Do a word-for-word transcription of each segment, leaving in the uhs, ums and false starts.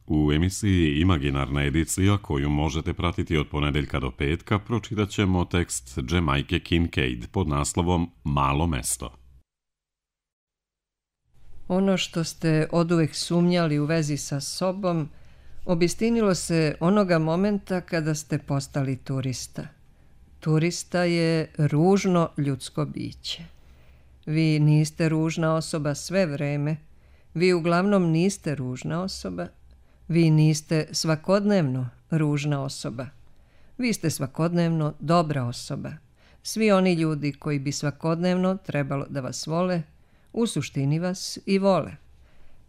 U emisiji Imaginarna edicija, koju možete pratiti od ponedeljka do petka, pročitat ćemo tekst Jamajke Kincaid pod naslovom Malo mesto. Ono što ste oduvek sumnjali u vezi sa sobom, obistinilo se onoga momenta kada ste postali turista. Turista je ružno ljudsko biće. Vi niste ružna osoba sve vreme, vi uglavnom niste ružna osoba, vi niste svakodnevno ružna osoba. Vi ste svakodnevno dobra osoba. Svi oni ljudi koji bi svakodnevno trebalo da vas vole, u suštini vas i vole.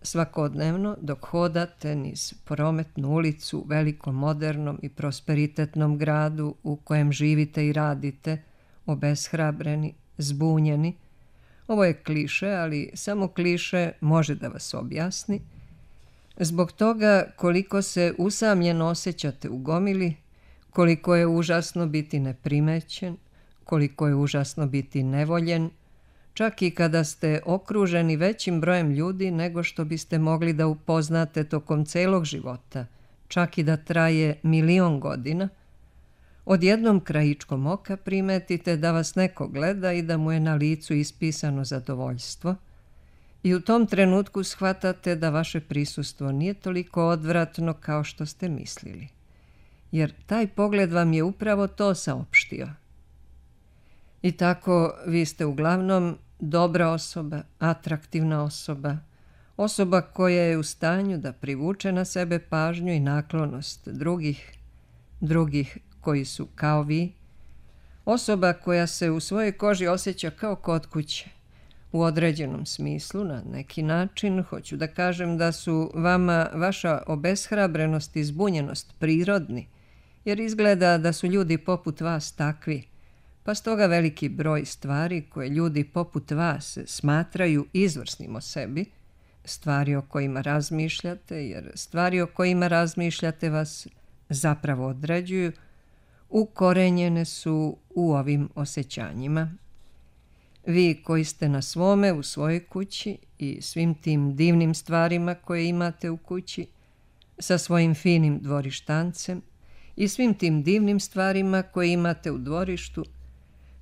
Svakodnevno dok hodate niz prometnu ulicu u velikom, modernom i prosperitetnom gradu u kojem živite i radite, obeshrabreni, zbunjeni. Ovo je kliše, ali samo kliše može da vas objasni. Zbog toga koliko se usamljeno osjećate u gomili, koliko je užasno biti neprimećen, koliko je užasno biti nevoljen, čak i kada ste okruženi većim brojem ljudi nego što biste mogli da upoznate tokom celog života, čak i da traje milion godina, odjednom krajičkom oka primetite da vas neko gleda i da mu je na licu ispisano zadovoljstvo i u tom trenutku shvatate da vaše prisustvo nije toliko odvratno kao što ste mislili, jer taj pogled vam je upravo to saopštio. I tako vi ste uglavnom dobra osoba, atraktivna osoba, osoba koja je u stanju da privuče na sebe pažnju i naklonost drugih, drugih koji su kao vi, osoba koja se u svojoj koži osjeća kao kod kuće. U određenom smislu, na neki način, hoću da kažem da su vama vaša obeshrabrenost i zbunjenost prirodni, jer izgleda da su ljudi poput vas takvi, pa stoga veliki broj stvari koje ljudi poput vas smatraju izvrsnim o sebi, stvari o kojima razmišljate, jer stvari o kojima razmišljate vas zapravo određuju, ukorenjene su u ovim osjećanjima. Vi koji ste na svome u svojoj kući i svim tim divnim stvarima koje imate u kući, sa svojim finim dvorištancem i svim tim divnim stvarima koje imate u dvorištu,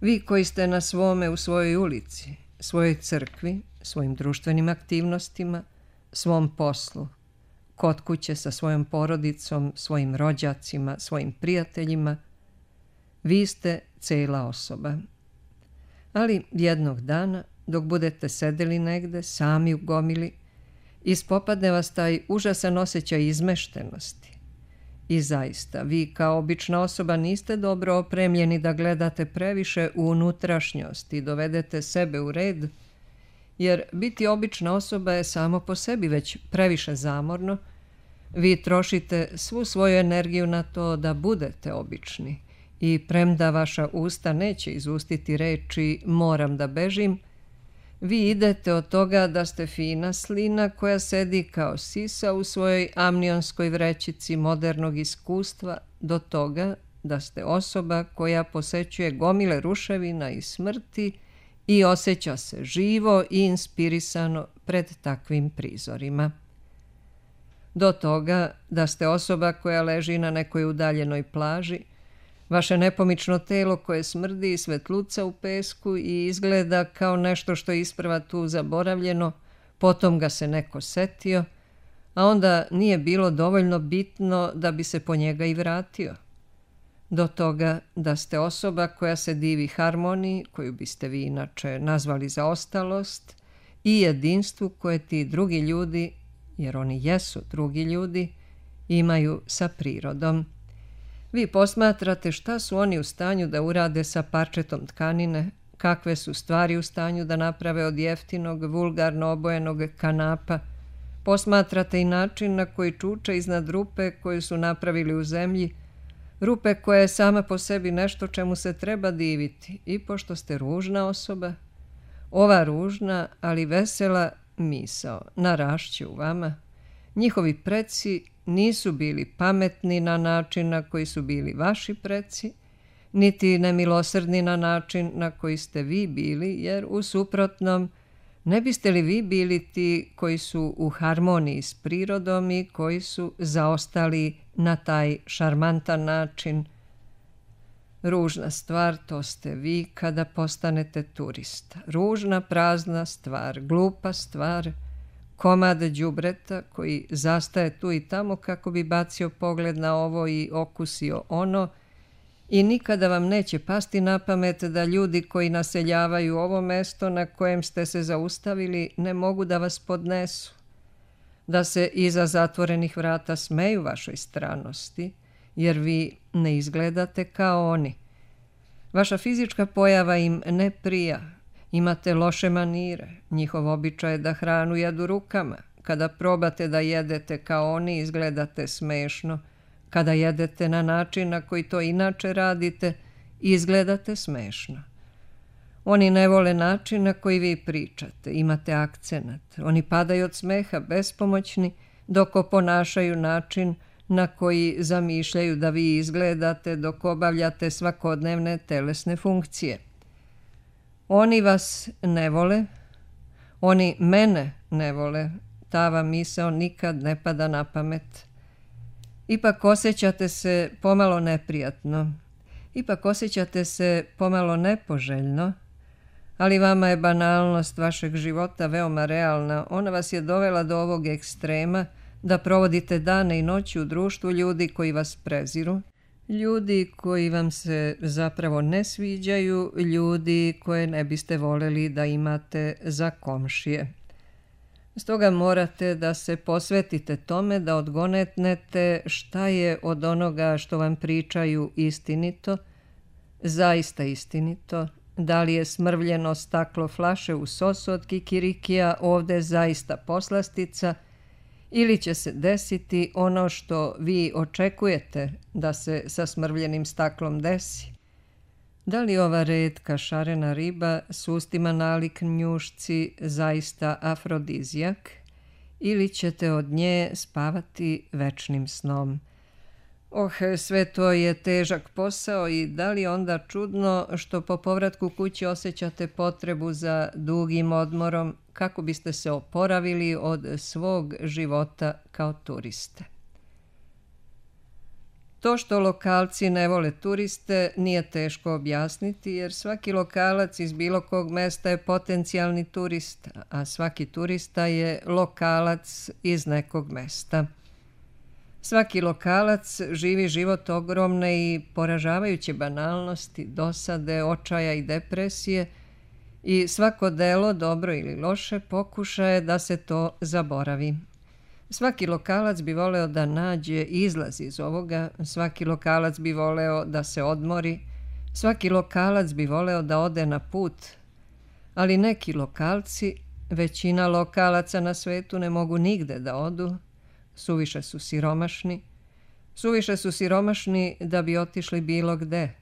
vi koji ste na svome u svojoj ulici, svojoj crkvi, svojim društvenim aktivnostima, svom poslu, kod kuće sa svojom porodicom, svojim rođacima, svojim prijateljima, vi ste cela osoba. Ali jednog dana, dok budete sedeli negde, sami u gomili, ispopadne vas taj užasan osjećaj izmeštenosti. I zaista, vi kao obična osoba niste dobro opremljeni da gledate previše u unutrašnjost i dovedete sebe u red, jer biti obična osoba je samo po sebi već previše zamorno. Vi trošite svu svoju energiju na to da budete obični i premda vaša usta neće izustiti reči moram da bežim, vi idete od toga da ste fina slina koja sedi kao sisa u svojoj amnionskoj vrećici modernog iskustva do toga da ste osoba koja posećuje gomile ruševina i smrti i osjeća se živo i inspirisano pred takvim prizorima. Do toga da ste osoba koja leži na nekoj udaljenoj plaži, vaše nepomično telo koje smrdi i svetluca u pesku i izgleda kao nešto što je isprva tu zaboravljeno, potom ga se neko setio, a onda nije bilo dovoljno bitno da bi se po njega i vratio. Do toga da ste osoba koja se divi harmoniji, koju biste vi inače nazvali zaostalost, i jedinstvu koje ti drugi ljudi, jer oni jesu drugi ljudi, imaju sa prirodom. Vi posmatrate šta su oni u stanju da urade sa parčetom tkanine, kakve su stvari u stanju da naprave od jeftinog, vulgarno obojenog kanapa. Posmatrate i način na koji čuče iznad rupe koju su napravili u zemlji, rupe koja je sama po sebi nešto čemu se treba diviti. I pošto ste ružna osoba, ova ružna, ali vesela misao narašće u vama. Njihovi preci nisu bili pametni na način na koji su bili vaši preci, niti nemilosrdni na način na koji ste vi bili, jer u suprotnom Ne biste li vi bili ti koji su u harmoniji s prirodom i koji su zaostali na taj šarmantan način? Ružna stvar, to ste vi kada postanete turista. Ružna, prazna stvar, glupa stvar, komad đubreta koji zastaje tu i tamo kako bi bacio pogled na ovo i okusio ono, i nikada vam neće pasti na pamet da ljudi koji naseljavaju ovo mesto na kojem ste se zaustavili ne mogu da vas podnesu, da se iza zatvorenih vrata smeju vašoj stranosti, jer vi ne izgledate kao oni. Vaša fizička pojava im ne prija, imate loše manire, njihov običaj je da hranu jedu rukama. Kada probate da jedete kao oni, izgledate smešno. Kada jedete na način na koji to inače radite, izgledate smešno. Oni ne vole način na koji vi pričate, imate akcenat. Oni padaju od smeha bespomoćni, dok oponašaju način na koji zamišljaju da vi izgledate dok obavljate svakodnevne telesne funkcije. Oni vas ne vole, oni mene ne vole, ta vam misao nikad ne pada na pamet. Ipak osjećate se pomalo neprijatno, ipak osjećate se pomalo nepoželjno, ali vama je banalnost vašeg života veoma realna. Ona vas je dovela do ovog ekstrema da provodite dane i noći u društvu ljudi koji vas preziru, ljudi koji vam se zapravo ne sviđaju, ljudi koje ne biste voljeli da imate za komšije. Stoga morate da se posvetite tome da odgonetnete šta je od onoga što vam pričaju istinito, zaista istinito, da li je smrvljeno staklo flaše u sosu od kikirikija ovde zaista poslastica, ili će se desiti ono što vi očekujete da se sa smrvljenim staklom desi. Da li ova retka šarena riba s ustima nalik njušci zaista afrodizijak, ili ćete od nje spavati večnim snom? Oh, sve to je težak posao i da li onda čudno što po povratku kući osjećate potrebu za dugim odmorom kako biste se oporavili od svog života kao turiste. To što lokalci ne vole turiste nije teško objasniti, jer svaki lokalac iz bilo kog mesta je potencijalni turista, a svaki turista je lokalac iz nekog mesta. Svaki lokalac živi život ogromne i poražavajuće banalnosti, dosade, očaja i depresije, i svako delo, dobro ili loše, pokušaje da se to zaboravi. Svaki lokalac bi voleo da nađe izlaz iz ovoga, svaki lokalac bi voleo da se odmori, svaki lokalac bi voleo da ode na put, ali neki lokalci, većina lokalaca na svetu, ne mogu nigde da odu, suviše su siromašni, suviše su siromašni da bi otišli bilo gde,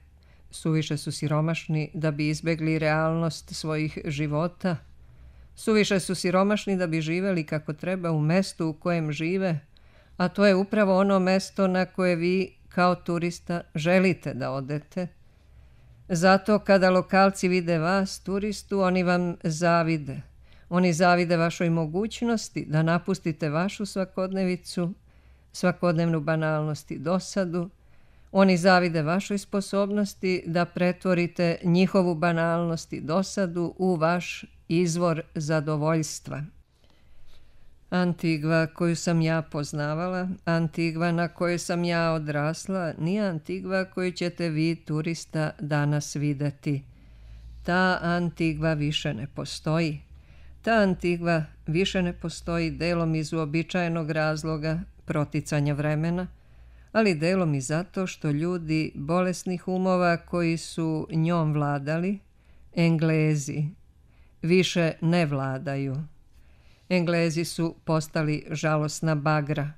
suviše su siromašni da bi izbegli realnost svojih života, suviše su siromašni da bi živeli kako treba u mestu u kojem žive, a to je upravo ono mesto na koje vi kao turista želite da odete. Zato kada lokalci vide vas, turistu, oni vam zavide. Oni zavide vašoj mogućnosti da napustite vašu svakodnevicu, svakodnevnu banalnost i dosadu. Oni zavide vašoj sposobnosti da pretvorite njihovu banalnost i dosadu u vaš izvor zadovoljstva. Antigva koju sam ja poznavala, Antigva na kojoj sam ja odrasla, nije Antigva koju ćete vi, turista, danas videti. Ta Antigva više ne postoji. Ta Antigva više ne postoji delom iz uobičajenog razloga proticanja vremena, ali delom i zato što ljudi bolesnih umova koji su njom vladali, Englezi, više ne vladaju. Englezi su postali žalosna bagra.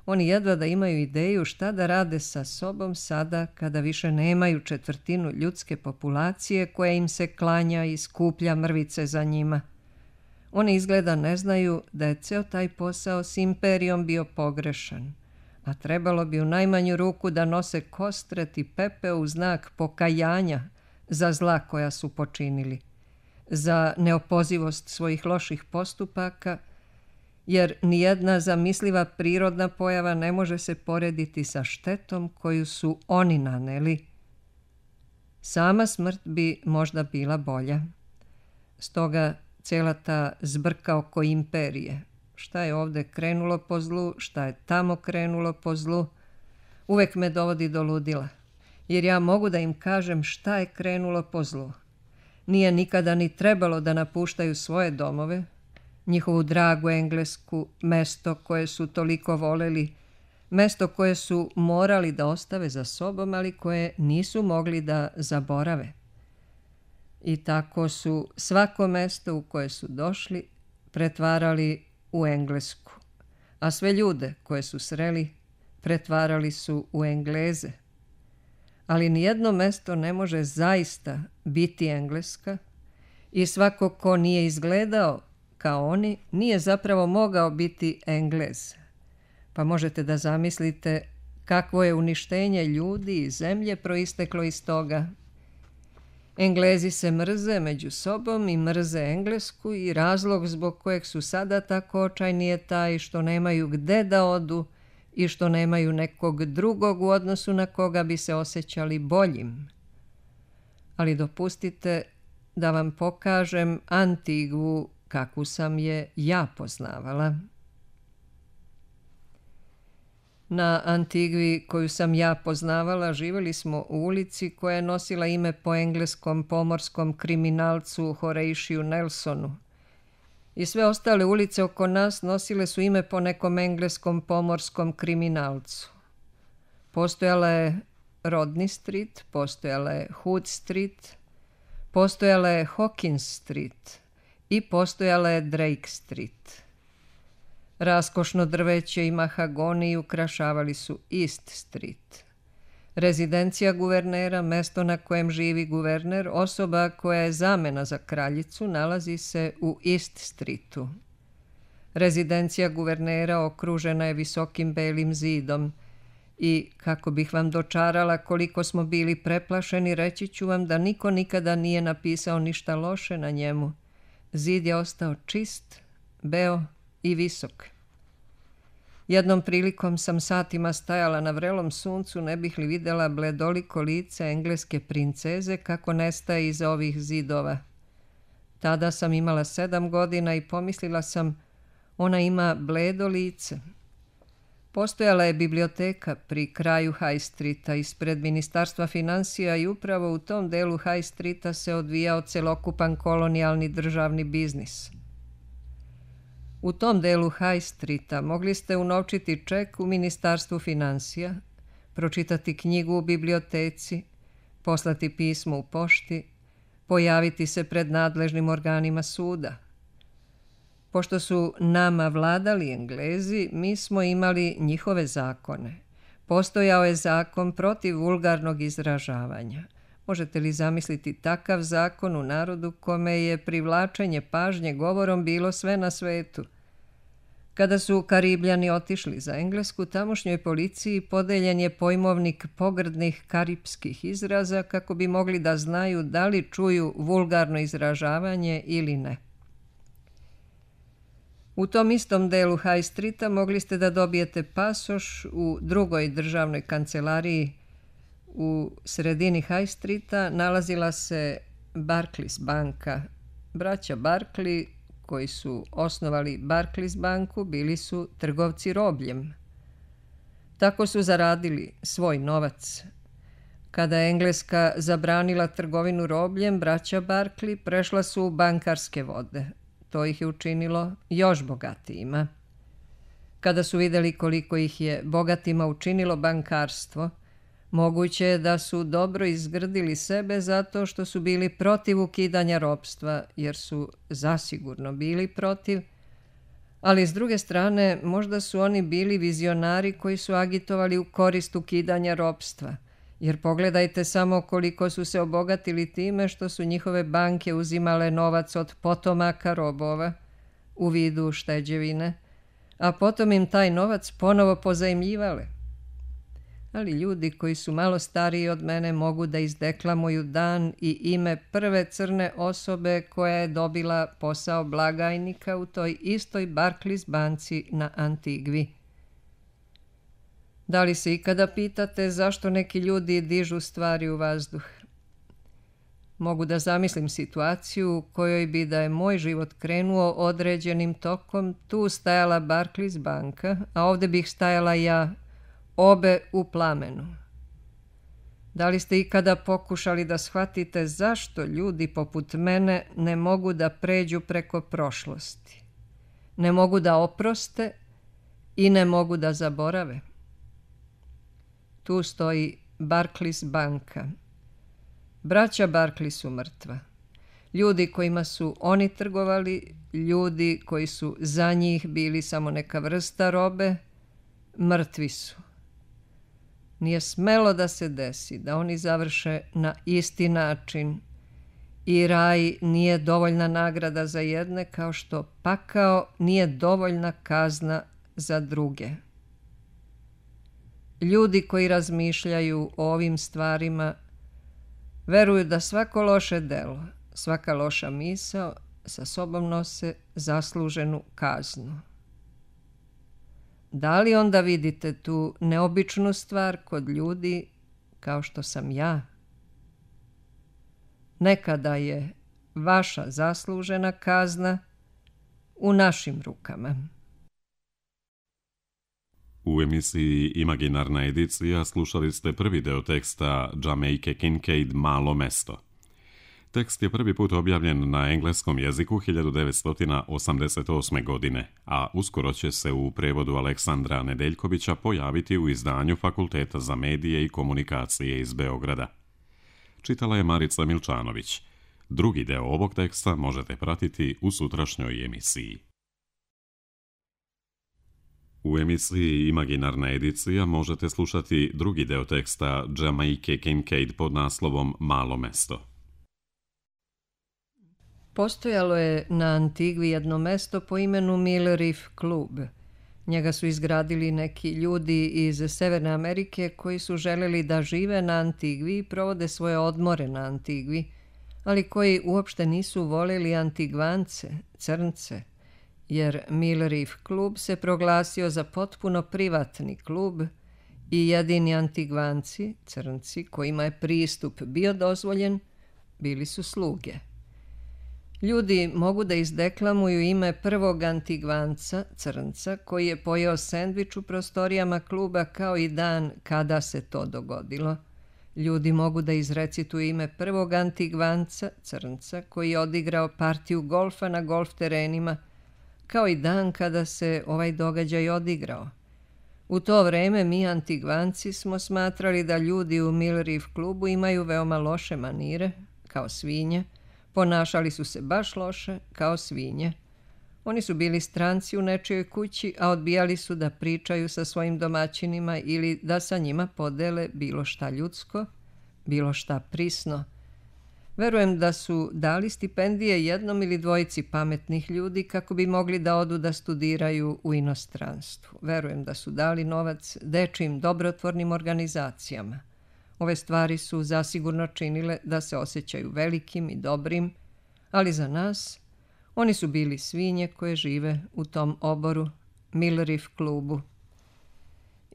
Oni jedva da imaju ideju šta da rade sa sobom sada kada više nemaju četvrtinu ljudske populacije koja im se klanja i skuplja mrvice za njima. Oni izgleda ne znaju da je ceo taj posao s imperijom bio pogrešan, a trebalo bi u najmanju ruku da nose kostret i pepeo u znak pokajanja za zla koja su počinili. za neopozivost svojih loših postupaka, jer nijedna zamisliva prirodna pojava ne može se porediti sa štetom koju su oni naneli. Sama smrt bi možda bila bolja. Stoga cijela ta zbrka oko imperije, šta je ovdje krenulo po zlu, šta je tamo krenulo po zlu, uvek me dovodi do ludila, jer ja mogu da im kažem šta je krenulo po zlu. Nije nikada ni trebalo da napuštaju svoje domove, njihovu dragu Englesku, mesto koje su toliko voleli, mesto koje su morali da ostave za sobom, ali koje nisu mogli da zaborave. I tako su svako mesto u koje su došli pretvarali u Englesku, a sve ljude koje su sreli pretvarali su u Engleze. Ali nijedno mesto ne može zaista biti Engleska i svako ko nije izgledao kao oni nije zapravo mogao biti Englez. Pa možete da zamislite kakvo je uništenje ljudi i zemlje proisteklo iz toga. Englezi se mrze među sobom i mrze Englesku i razlog zbog kojeg su sada tako očajni je taj što nemaju gde da odu i što nemaju nekog drugog u odnosu na koga bi se osjećali boljim. Ali dopustite da vam pokažem Antigvu kakvu sam je ja poznavala. Na Antigvi koju sam ja poznavala živjeli smo u ulici koja je nosila ime po engleskom pomorskom kriminalcu Horatiju Nelsonu. I sve ostale ulice oko nas nosile su ime po nekom engleskom pomorskom kriminalcu. Postojala je Rodney Street, postojala je Hood Street, postojala je Hawkins Street i postojala je Drake Street. Raskošno drveće i mahagoni ukrašavali su East Street. Rezidencija guvernera, mesto na kojem živi guverner, osoba koja je zamena za kraljicu, nalazi se u East Streetu. Rezidencija guvernera okružena je visokim belim zidom i, kako bih vam dočarala koliko smo bili preplašeni, reći ću vam da niko nikada nije napisao ništa loše na njemu. Zid je ostao čist, beo i visok. Jednom prilikom sam satima stajala na vrelom suncu, ne bih li videla bledoliko lice engleske princeze kako nestaje iza ovih zidova. Tada sam imala sedam godina i pomislila sam, ona ima bledo lice. Postojala je biblioteka pri kraju High Streeta ispred Ministarstva financija i upravo u tom delu High Streeta se odvijao celokupan kolonijalni državni biznis. U tom delu High Streeta mogli ste unovčiti ček u Ministarstvu financija, pročitati knjigu u biblioteci, poslati pismo u pošti, pojaviti se pred nadležnim organima suda. Pošto su nama vladali Englezi, mi smo imali njihove zakone. Postojao je zakon protiv vulgarnog izražavanja. Možete li zamisliti takav zakon u narodu kome je privlačenje pažnje govorom bilo sve na svetu? Kada su Karibljani otišli za Englesku, tamošnjoj policiji podeljen je pojmovnik pogrdnih karipskih izraza kako bi mogli da znaju da li čuju vulgarno izražavanje ili ne. U tom istom delu High Streeta mogli ste da dobijete pasoš u drugoj državnoj kancelariji. U sredini High Streeta nalazila se Barclays banka. Braća Barkley, koji su osnovali Barclays banku, bili su trgovci robljem. Tako su zaradili svoj novac. Kada je Engleska zabranila trgovinu robljem, braća Barkley prešla su u bankarske vode. To ih je učinilo još bogatijima. Kada su vidjeli koliko ih je bogatima učinilo bankarstvo, moguće je da su dobro izgrdili sebe zato što su bili protiv ukidanja ropstva, jer su zasigurno bili protiv, ali s druge strane možda su oni bili vizionari koji su agitovali u korist ukidanja ropstva, jer pogledajte samo koliko su se obogatili time što su njihove banke uzimale novac od potomaka robova u vidu šteđevine, a potom im taj novac ponovo pozajmljivale. ali ljudi koji su malo stariji od mene mogu da izdeklamuju dan i ime prve crne osobe koja je dobila posao blagajnika u toj istoj Barclays banci na Antigvi. Da li se ikada pitate zašto neki ljudi dižu stvari u vazduh? Mogu da zamislim situaciju u kojoj bi, da je moj život krenuo određenim tokom, tu stajala Barclays banka, a ovde bih stajala ja, obe u plamenu. Da li ste ikada pokušali da shvatite zašto ljudi poput mene ne mogu da pređu preko prošlosti? Ne mogu da oproste i ne mogu da zaborave? Tu stoji Barclays banka. Braća Barclay su mrtva. Ljudi kojima su oni trgovali, ljudi koji su za njih bili samo neka vrsta robe, mrtvi su. Nije smelo da se desi da oni završe na isti način i raj nije dovoljna nagrada za jedne, kao što pakao nije dovoljna kazna za druge. Ljudi koji razmišljaju o ovim stvarima veruju da svako loše delo, svaka loša misao sa sobom nose zasluženu kaznu. Da li onda vidite tu neobičnu stvar kod ljudi kao što sam ja? Nekada je vaša zaslužena kazna u našim rukama. U emisiji Imaginarna edicija slušali ste prvi deo teksta Jamaica Kincaid Malo mesto. Tekst je prvi put objavljen na engleskom jeziku hiljadu devetsto osamdeset osme. godine, a uskoro će se u prevodu Aleksandra Nedeljkovića pojaviti u izdanju Fakulteta za medije i komunikacije iz Beograda. Čitala je Marica Milčanović. Drugi deo ovog teksta možete pratiti u sutrašnjoj emisiji. U emisiji Imaginarna edicija možete slušati drugi deo teksta Jamaica Kincaid pod naslovom Malo mesto. Postojalo je na Antigvi jedno mesto po imenu Mill Reef Klub. Njega su izgradili neki ljudi iz Severne Amerike koji su želeli da žive na Antigvi i provode svoje odmore na Antigvi, ali koji uopšte nisu voljeli Antigvance, crnce, jer Mill Reef Klub se proglasio za potpuno privatni klub i jedini Antigvanci, crnci, kojima je pristup bio dozvoljen, bili su sluge. Ljudi mogu da izdeklamuju ime prvog Antigvanca, crnca, koji je pojeo sendvič u prostorijama kluba kao i dan kada se to dogodilo. Ljudi mogu da izrecituju ime prvog Antigvanca, crnca, koji je odigrao partiju golfa na golf terenima, kao i dan kada se ovaj događaj odigrao. U to vreme mi Antigvanci smo smatrali da ljudi u Mill Reef klubu imaju veoma loše manire, kao svinje, ponašali su se baš loše, kao svinje. Oni su bili stranci u nečijoj kući, a odbijali su da pričaju sa svojim domaćinima ili da sa njima podele bilo šta ljudsko, bilo šta prisno. Verujem da su dali stipendije jednom ili dvojici pametnih ljudi kako bi mogli da odu da studiraju u inostranstvu. Verujem da su dali novac dečijim dobrotvornim organizacijama. Ove stvari su zasigurno činile da se osjećaju velikim i dobrim, ali za nas oni su bili svinje koje žive u tom oboru, Mill Reef klubu.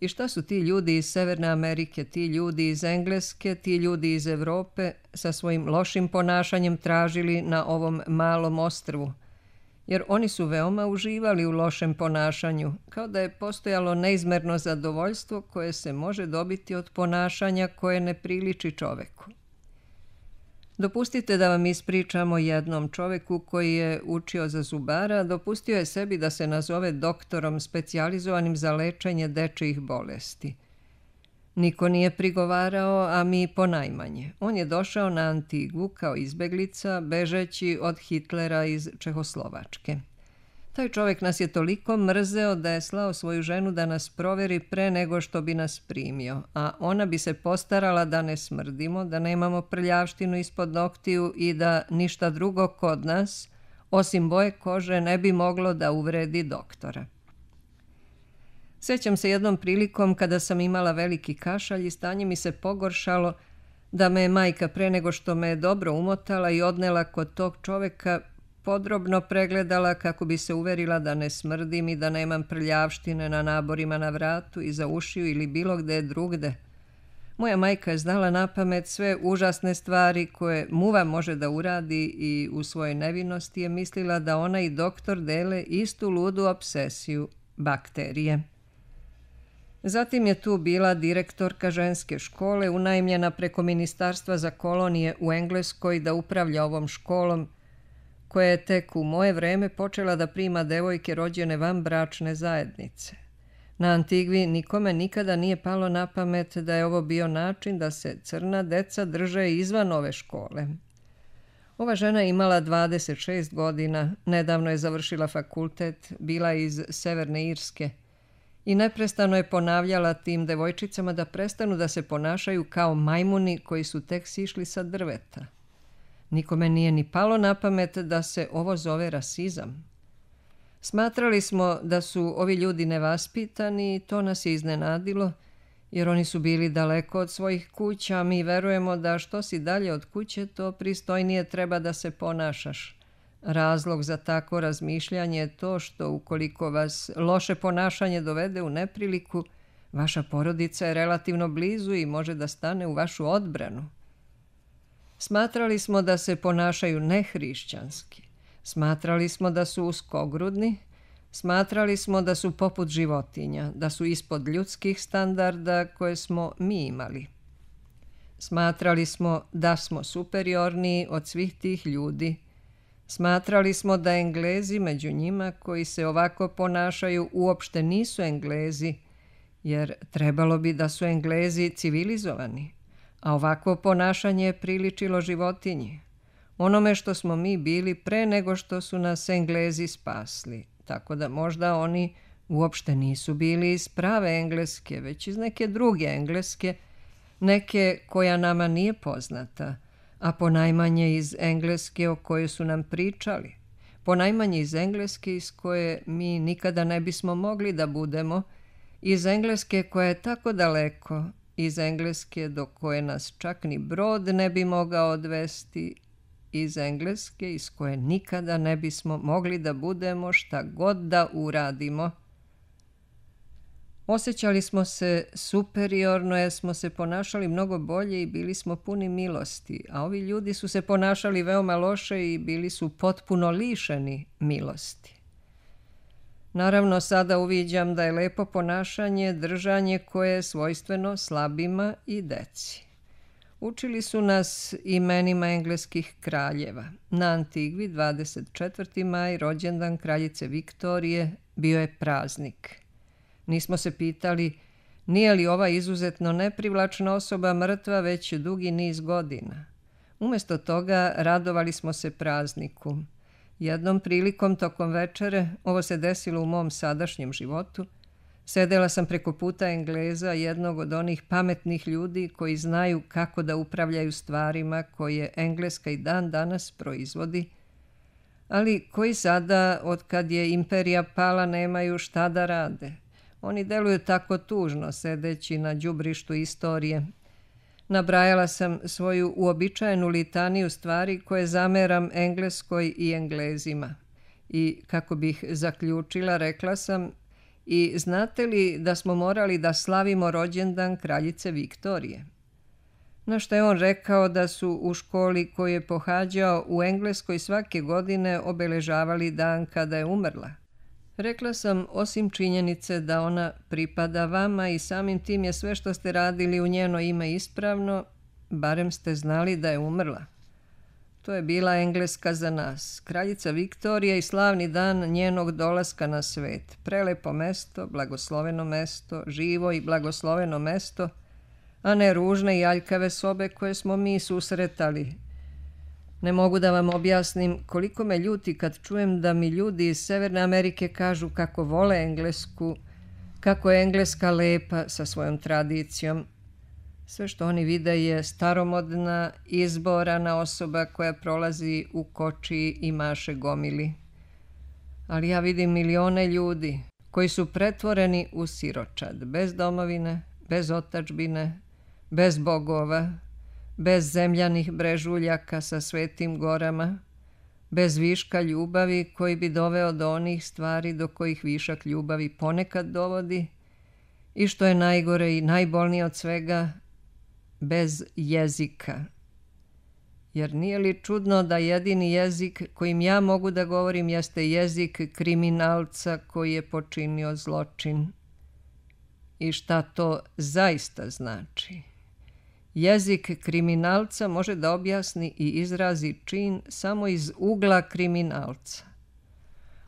I šta su ti ljudi iz Severne Amerike, ti ljudi iz Engleske, ti ljudi iz Evrope sa svojim lošim ponašanjem tražili na ovom malom ostrvu? Jer oni su veoma uživali u lošem ponašanju, kao da je postojalo neizmerno zadovoljstvo koje se može dobiti od ponašanja koje ne priliči čoveku. Dopustite da vam ispričamo jednom čoveku koji je učio za zubara, dopustio je sebi da se nazove doktorom specijalizovanim za lečenje dečijih bolesti. Niko nije prigovarao, a mi ponajmanje. On je došao na Antigvu kao izbeglica, bežeći od Hitlera iz Čehoslovačke. Taj čovjek nas je toliko mrzeo da je slao svoju ženu da nas proveri pre nego što bi nas primio, a ona bi se postarala da ne smrdimo, da nemamo prljavštinu ispod noktiju i da ništa drugo kod nas, osim boje kože, ne bi moglo da uvredi doktora. Sjećam se jednom prilikom kada sam imala veliki kašalj i stanje mi se pogoršalo, da me je majka pre nego što me je dobro umotala i odnela kod tog čoveka podrobno pregledala kako bi se uverila da ne smrdim i da nemam prljavštine na naborima na vratu, iza ušiju ili bilo gde drugde. Moja majka je znala napamet sve užasne stvari koje muva može da uradi i u svojoj nevinosti je mislila da ona i doktor dele istu ludu obsesiju, bakterije. Zatim je tu bila direktorka ženske škole, unajmljena preko Ministarstva za kolonije u Engleskoj da upravlja ovom školom, koja je tek u moje vreme počela da prima devojke rođene van bračne zajednice. Na Antigvi nikome nikada nije palo na pamet da je ovo bio način da se crna deca drže izvan ove škole. Ova žena je imala dvadeset šest godina, nedavno je završila fakultet, bila je iz Severne Irske i neprestano je ponavljala tim devojčicama da prestanu da se ponašaju kao majmuni koji su tek sišli sa drveta. Nikome nije ni palo na pamet da se ovo zove rasizam. Smatrali smo da su ovi ljudi nevaspitani i to nas je iznenadilo, jer oni su bili daleko od svojih kuća, a mi verujemo da što si dalje od kuće, to pristojnije treba da se ponašaš. Razlog za tako razmišljanje je to što ukoliko vas loše ponašanje dovede u nepriliku, vaša porodica je relativno blizu i može da stane u vašu odbranu. Smatrali smo da se ponašaju nehrišćanski. Smatrali smo da su uskogrudni. Smatrali smo da su poput životinja, da su ispod ljudskih standarda koje smo mi imali. Smatrali smo da smo superiorniji od svih tih ljudi. Smatrali smo da Englezi među njima koji se ovako ponašaju uopšte nisu Englezi, jer trebalo bi da su Englezi civilizovani, a ovako ponašanje je priličilo životinji, onome što smo mi bili pre nego što su nas Englezi spasli, tako da možda oni uopšte nisu bili iz prave Engleske, već iz neke druge Engleske, neke koja nama nije poznata, a ponajmanje iz Engleske o kojoj su nam pričali, ponajmanje iz Engleske iz koje mi nikada ne bismo mogli da budemo, iz Engleske koja je tako daleko, iz Engleske do koje nas čak ni brod ne bi mogao odvesti, iz Engleske iz koje nikada ne bismo mogli da budemo šta god da uradimo. Osjećali smo se superiorno jer smo se ponašali mnogo bolje i bili smo puni milosti, a ovi ljudi su se ponašali veoma loše i bili su potpuno lišeni milosti. Naravno, sada uviđam da je lepo ponašanje držanje koje je svojstveno slabima i deci. Učili su nas imenima engleskih kraljeva. Na Antigvi dvadeset četvrti maj, rođendan kraljice Viktorije, bio je praznik. Nismo se pitali nije li ova izuzetno neprivlačna osoba mrtva već dugi niz godina. Umjesto toga radovali smo se prazniku. Jednom prilikom tokom večere, ovo se desilo u mom sadašnjem životu, sedela sam preko puta Engleza, jednog od onih pametnih ljudi koji znaju kako da upravljaju stvarima koje Engleska i dan danas proizvodi, ali koji sada, od kad je imperija pala, nemaju šta da rade. Oni deluju tako tužno, sedeći na đubrištu istorije. Nabrajala sam svoju uobičajenu litaniju stvari koje zameram Engleskoj i Englezima. I, kako bih zaključila, rekla sam: i znate li da smo morali da slavimo rođendan kraljice Viktorije? Na što je on rekao da su u školi koju je pohađao u Engleskoj svake godine obeležavali dan kada je umrla. Rekla sam, osim činjenice da ona pripada vama i samim tim je sve što ste radili u njeno ime ispravno, barem ste znali da je umrla. To je bila Engleska za nas, kraljica Viktorija i slavni dan njenog dolaska na svet. Prelepo mesto, blagosloveno mesto, živo i blagosloveno mesto, a ne ružne i aljkave sobe koje smo mi susretali. Ne mogu da vam objasnim koliko me ljuti kad čujem da mi ljudi iz Severne Amerike kažu kako vole Englesku, kako je Engleska lepa sa svojom tradicijom. Sve što oni vide je staromodna, izborana osoba koja prolazi u kočiji i maše gomili. Ali ja vidim milione ljudi koji su pretvoreni u siročad, bez domovine, bez otadžbine, bez bogova, bez zemljanih brežuljaka sa svetim gorama, bez viška ljubavi koji bi doveo do onih stvari do kojih višak ljubavi ponekad dovodi i što je najgore i najbolnije od svega, bez jezika. Jer nije li čudno da jedini jezik kojim ja mogu da govorim jeste jezik kriminalca koji je počinio zločin? I šta to zaista znači? Jezik kriminalca može da objasni i izrazi čin samo iz ugla kriminalca.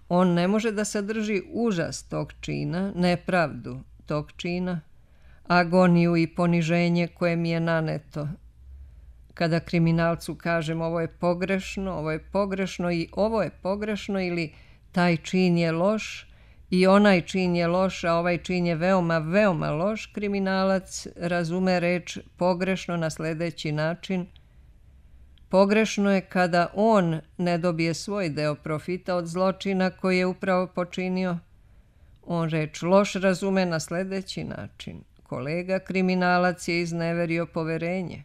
On ne može da sadrži užas tog čina, nepravdu tog čina, agoniju i poniženje koje mi je naneto. Kada kriminalcu kažem ovo je pogrešno, ovo je pogrešno i ovo je pogrešno ili taj čin je loš i onaj čin je loš, a ovaj čin je veoma, veoma loš, kriminalac razume reč pogrešno na sljedeći način. Pogrešno je kada on ne dobije svoj deo profita od zločina koji je upravo počinio. On reč loš razume na sljedeći način. Kolega kriminalac je izneverio poverenje.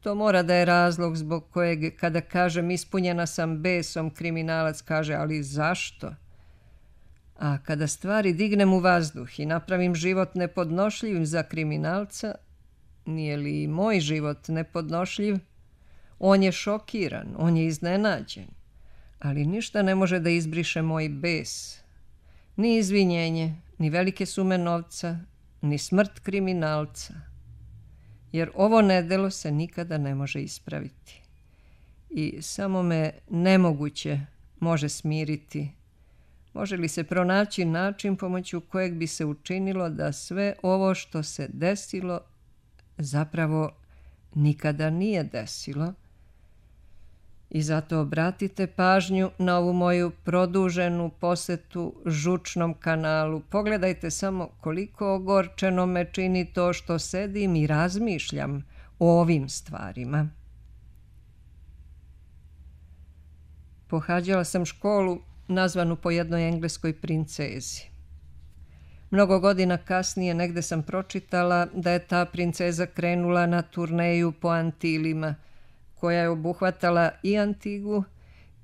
To mora da je razlog zbog kojeg, kada kažem ispunjena sam besom, kriminalac kaže, ali zašto? A kada stvari dignem u vazduh i napravim život nepodnošljivim za kriminalca, nije li i moj život nepodnošljiv? On je šokiran, on je iznenađen, ali ništa ne može da izbriše moj bes. Ni izvinjenje, ni velike sume novca, ni smrt kriminalca. Jer ovo nedelo se nikada ne može ispraviti. I samo me nemoguće može smiriti. Može li se pronaći način pomoću kojeg bi se učinilo da sve ovo što se desilo zapravo nikada nije desilo? I zato obratite pažnju na ovu moju produženu posetu žučnom kanalu. Pogledajte samo koliko ogorčeno me čini to što sedim i razmišljam o ovim stvarima. Pohađala sam školu nazvanu po jednoj engleskoj princezi. Mnogo godina kasnije negde sam pročitala da je ta princeza krenula na turneju po Antilima, koja je obuhvatala i Antigu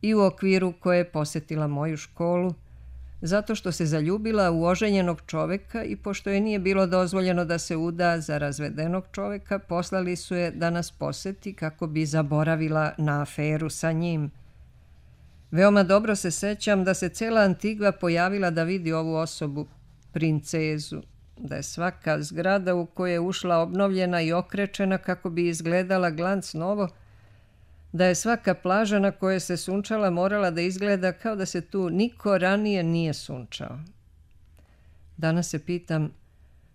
i u okviru koje je posjetila moju školu, zato što se zaljubila u oženjenog čoveka i pošto je nije bilo dozvoljeno da se uda za razvedenog čoveka, poslali su je da nas poseti kako bi zaboravila na aferu sa njim. Veoma dobro se sećam da se cela Antigva pojavila da vidi ovu osobu, princezu, da je svaka zgrada u koju je ušla obnovljena i okrečena kako bi izgledala glanc novo, da je svaka plaža na kojoj se sunčala morala da izgleda kao da se tu niko ranije nije sunčao. Danas se pitam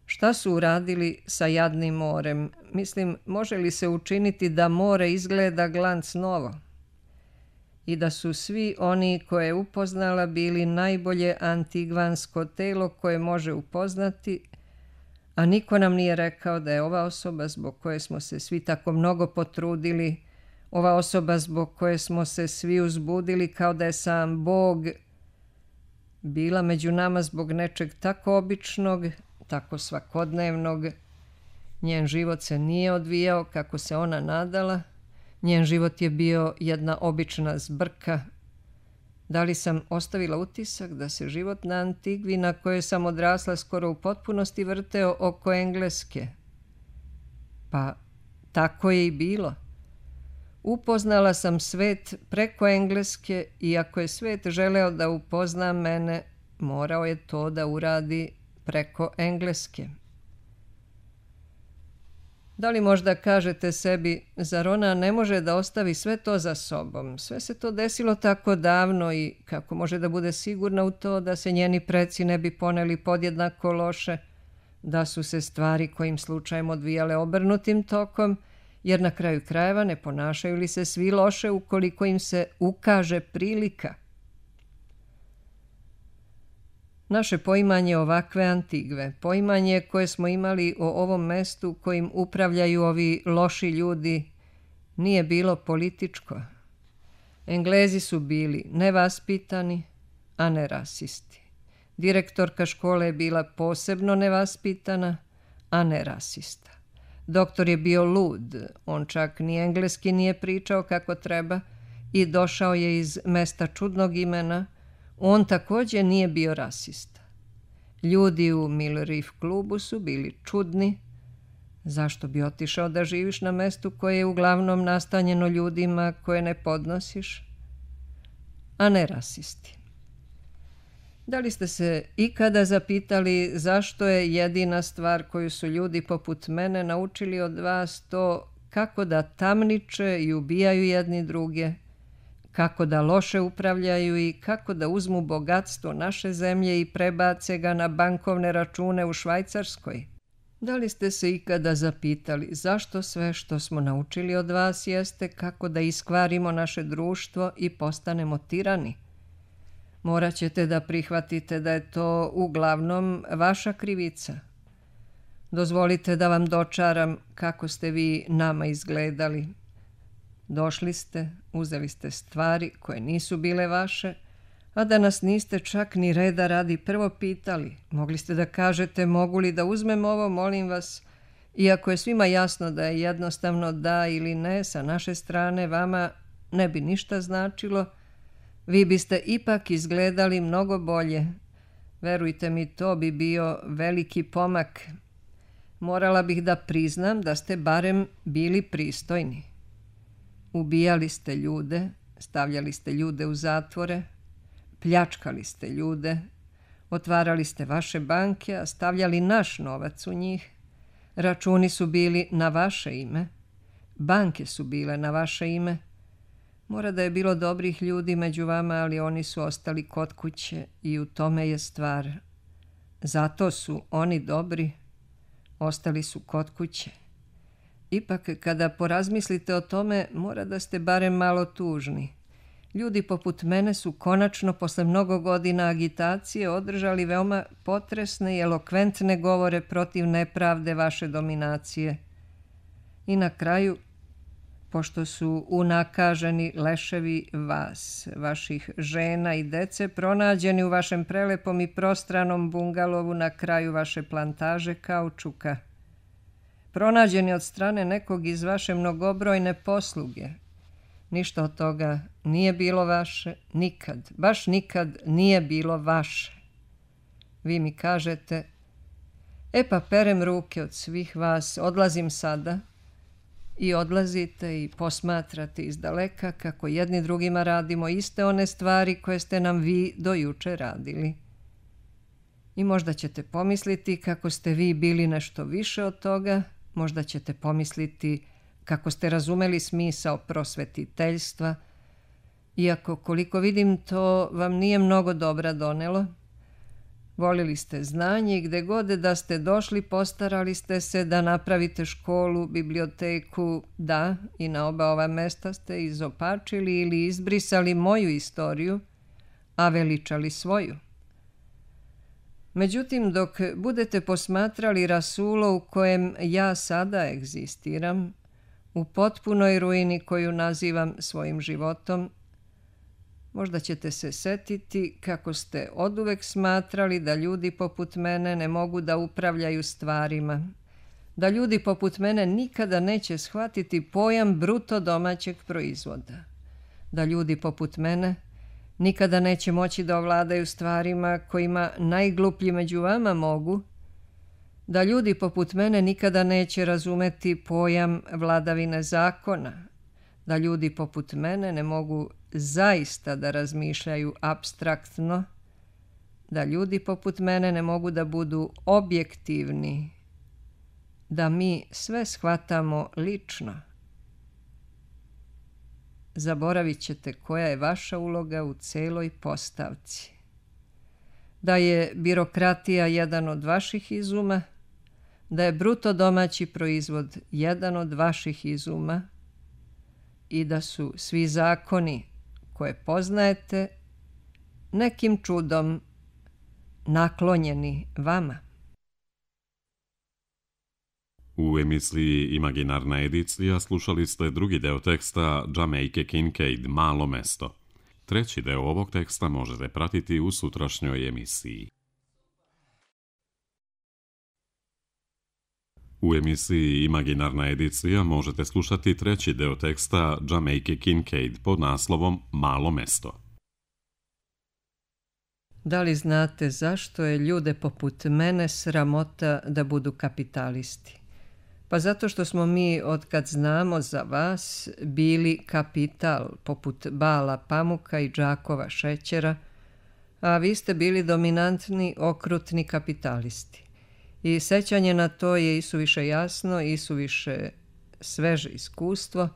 šta su uradili sa jadnim morem. Mislim, može li se učiniti da more izgleda glanc novo? I da su svi oni koje je upoznala bili najbolje antigvansko telo koje može upoznati, a niko nam nije rekao da je ova osoba zbog koje smo se svi tako mnogo potrudili, ova osoba zbog koje smo se svi uzbudili kao da je sam Bog, bila među nama zbog nečeg tako običnog, tako svakodnevnog. Njen život se nije odvijao kako se ona nadala, njen život je bio jedna obična zbrka. Da li sam ostavila utisak da se život na Antigvi na kojoj sam odrasla skoro u potpunosti vrteo oko Engleske? Pa tako je i bilo. Upoznala sam svet preko Engleske i ako je svet želeo da upozna mene, morao je to da uradi preko Engleske. Da li možda kažete sebi, zar ona ne može da ostavi sve to za sobom? Sve se to desilo tako davno i kako može da bude sigurna u to da se njeni preci ne bi poneli podjednako loše, da su se stvari kojim slučajem odvijale obrnutim tokom, jer na kraju krajeva ne ponašaju li se svi loše ukoliko im se ukaže prilika? Naše poimanje ovakve Antigve, poimanje koje smo imali o ovom mestu kojim upravljaju ovi loši ljudi, nije bilo političko. Englezi su bili nevaspitani, a ne rasisti. Direktorka škole je bila posebno nevaspitana, a ne rasista. Doktor je bio lud, on čak ni engleski nije pričao kako treba i došao je iz mesta čudnog imena, on također nije bio rasista. Ljudi u Mill Reef klubu su bili čudni. Zašto bi otišao da živiš na mestu koje je uglavnom nastanjeno ljudima koje ne podnosiš, a ne rasisti? Da li ste se ikada zapitali zašto je jedina stvar koju su ljudi poput mene naučili od vas to kako da tamniče i ubijaju jedni druge, kako da loše upravljaju i kako da uzmu bogatstvo naše zemlje i prebace ga na bankovne račune u Švajcarskoj? Da li ste se ikada zapitali zašto sve što smo naučili od vas jeste kako da iskvarimo naše društvo i postanemo tirani? Morat ćete da prihvatite da je to uglavnom vaša krivica. Dozvolite da vam dočaram kako ste vi nama izgledali. Došli ste, uzeli ste stvari koje nisu bile vaše, a da nas niste čak ni reda radi prvo pitali. Mogli ste da kažete mogu li da uzmem ovo, molim vas, iako je svima jasno da je jednostavno da ili ne sa naše strane, vama ne bi ništa značilo, vi biste ipak izgledali mnogo bolje. Verujte mi, to bi bio veliki pomak. Morala bih da priznam da ste barem bili pristojni. Ubijali ste ljude, stavljali ste ljude u zatvore, pljačkali ste ljude, otvarali ste vaše banke, a stavljali naš novac u njih. Računi su bili na vaše ime, banke su bile na vaše ime. Mora da je bilo dobrih ljudi među vama, ali oni su ostali kod kuće i u tome je stvar. Zato su oni dobri, ostali su kod kuće. Ipak, kada porazmislite o tome, mora da ste barem malo tužni. Ljudi poput mene su konačno, posle mnogo godina agitacije, održali veoma potresne i elokventne govore protiv nepravde vaše dominacije. I na kraju, pošto su unakaženi leševi vas, vaših žena i dece, pronađeni u vašem prelepom i prostranom bungalovu na kraju vaše plantaže kaučuka, pronađeni od strane nekog iz vaše mnogobrojne posluge, ništa od toga nije bilo vaše, nikad, baš nikad nije bilo vaše. Vi mi kažete, e pa perem ruke od svih vas, odlazim sada, i odlazite i posmatrate iz daleka kako jedni drugima radimo iste one stvari koje ste nam vi do juče radili. I možda ćete pomisliti kako ste vi bili nešto više od toga, možda ćete pomisliti kako ste razumeli smisao prosvetiteljstva, iako koliko vidim to vam nije mnogo dobra donelo. Volili ste znanje i gde god da ste došli postarali ste se da napravite školu, biblioteku, da, i na oba ova mesta ste izopačili ili izbrisali moju istoriju, a veličali svoju. Međutim, dok budete posmatrali rasulo u kojem ja sada egzistiram, u potpunoj ruini koju nazivam svojim životom, možda ćete se setiti kako ste oduvek smatrali da ljudi poput mene ne mogu da upravljaju stvarima, da ljudi poput mene nikada neće shvatiti pojam bruto domaćeg proizvoda, da ljudi poput mene nikada neće moći da ovladaju stvarima kojima najgluplji među vama mogu, da ljudi poput mene nikada neće razumeti pojam vladavine zakona, da ljudi poput mene ne mogu zaista da razmišljaju apstraktno, da ljudi poput mene ne mogu da budu objektivni, da mi sve shvatamo lično. Zaboravit ćete koja je vaša uloga u celoj postavci. Da je birokratija jedan od vaših izuma, da je bruto domaći proizvod jedan od vaših izuma i da su svi zakoni koje poznajete nekim čudom naklonjeni vama. U emisiji Imaginarna edicija slušali ste drugi deo teksta Jamaica Kincaid, Malo mesto. Treći deo ovog teksta možete pratiti u sutrašnjoj emisiji. U emisiji Imaginarna edicija možete slušati treći deo teksta Jamaica Kincaid pod naslovom Malo mesto. Da li znate zašto je ljude poput mene sramota da budu kapitalisti? Pa zato što smo mi, otkad znamo za vas, bili kapital poput Bala pamuka i džakova šećera, a vi ste bili dominantni, okrutni kapitalisti. I sećanje na to je isuviše jasno, isuviše sveže iskustvo,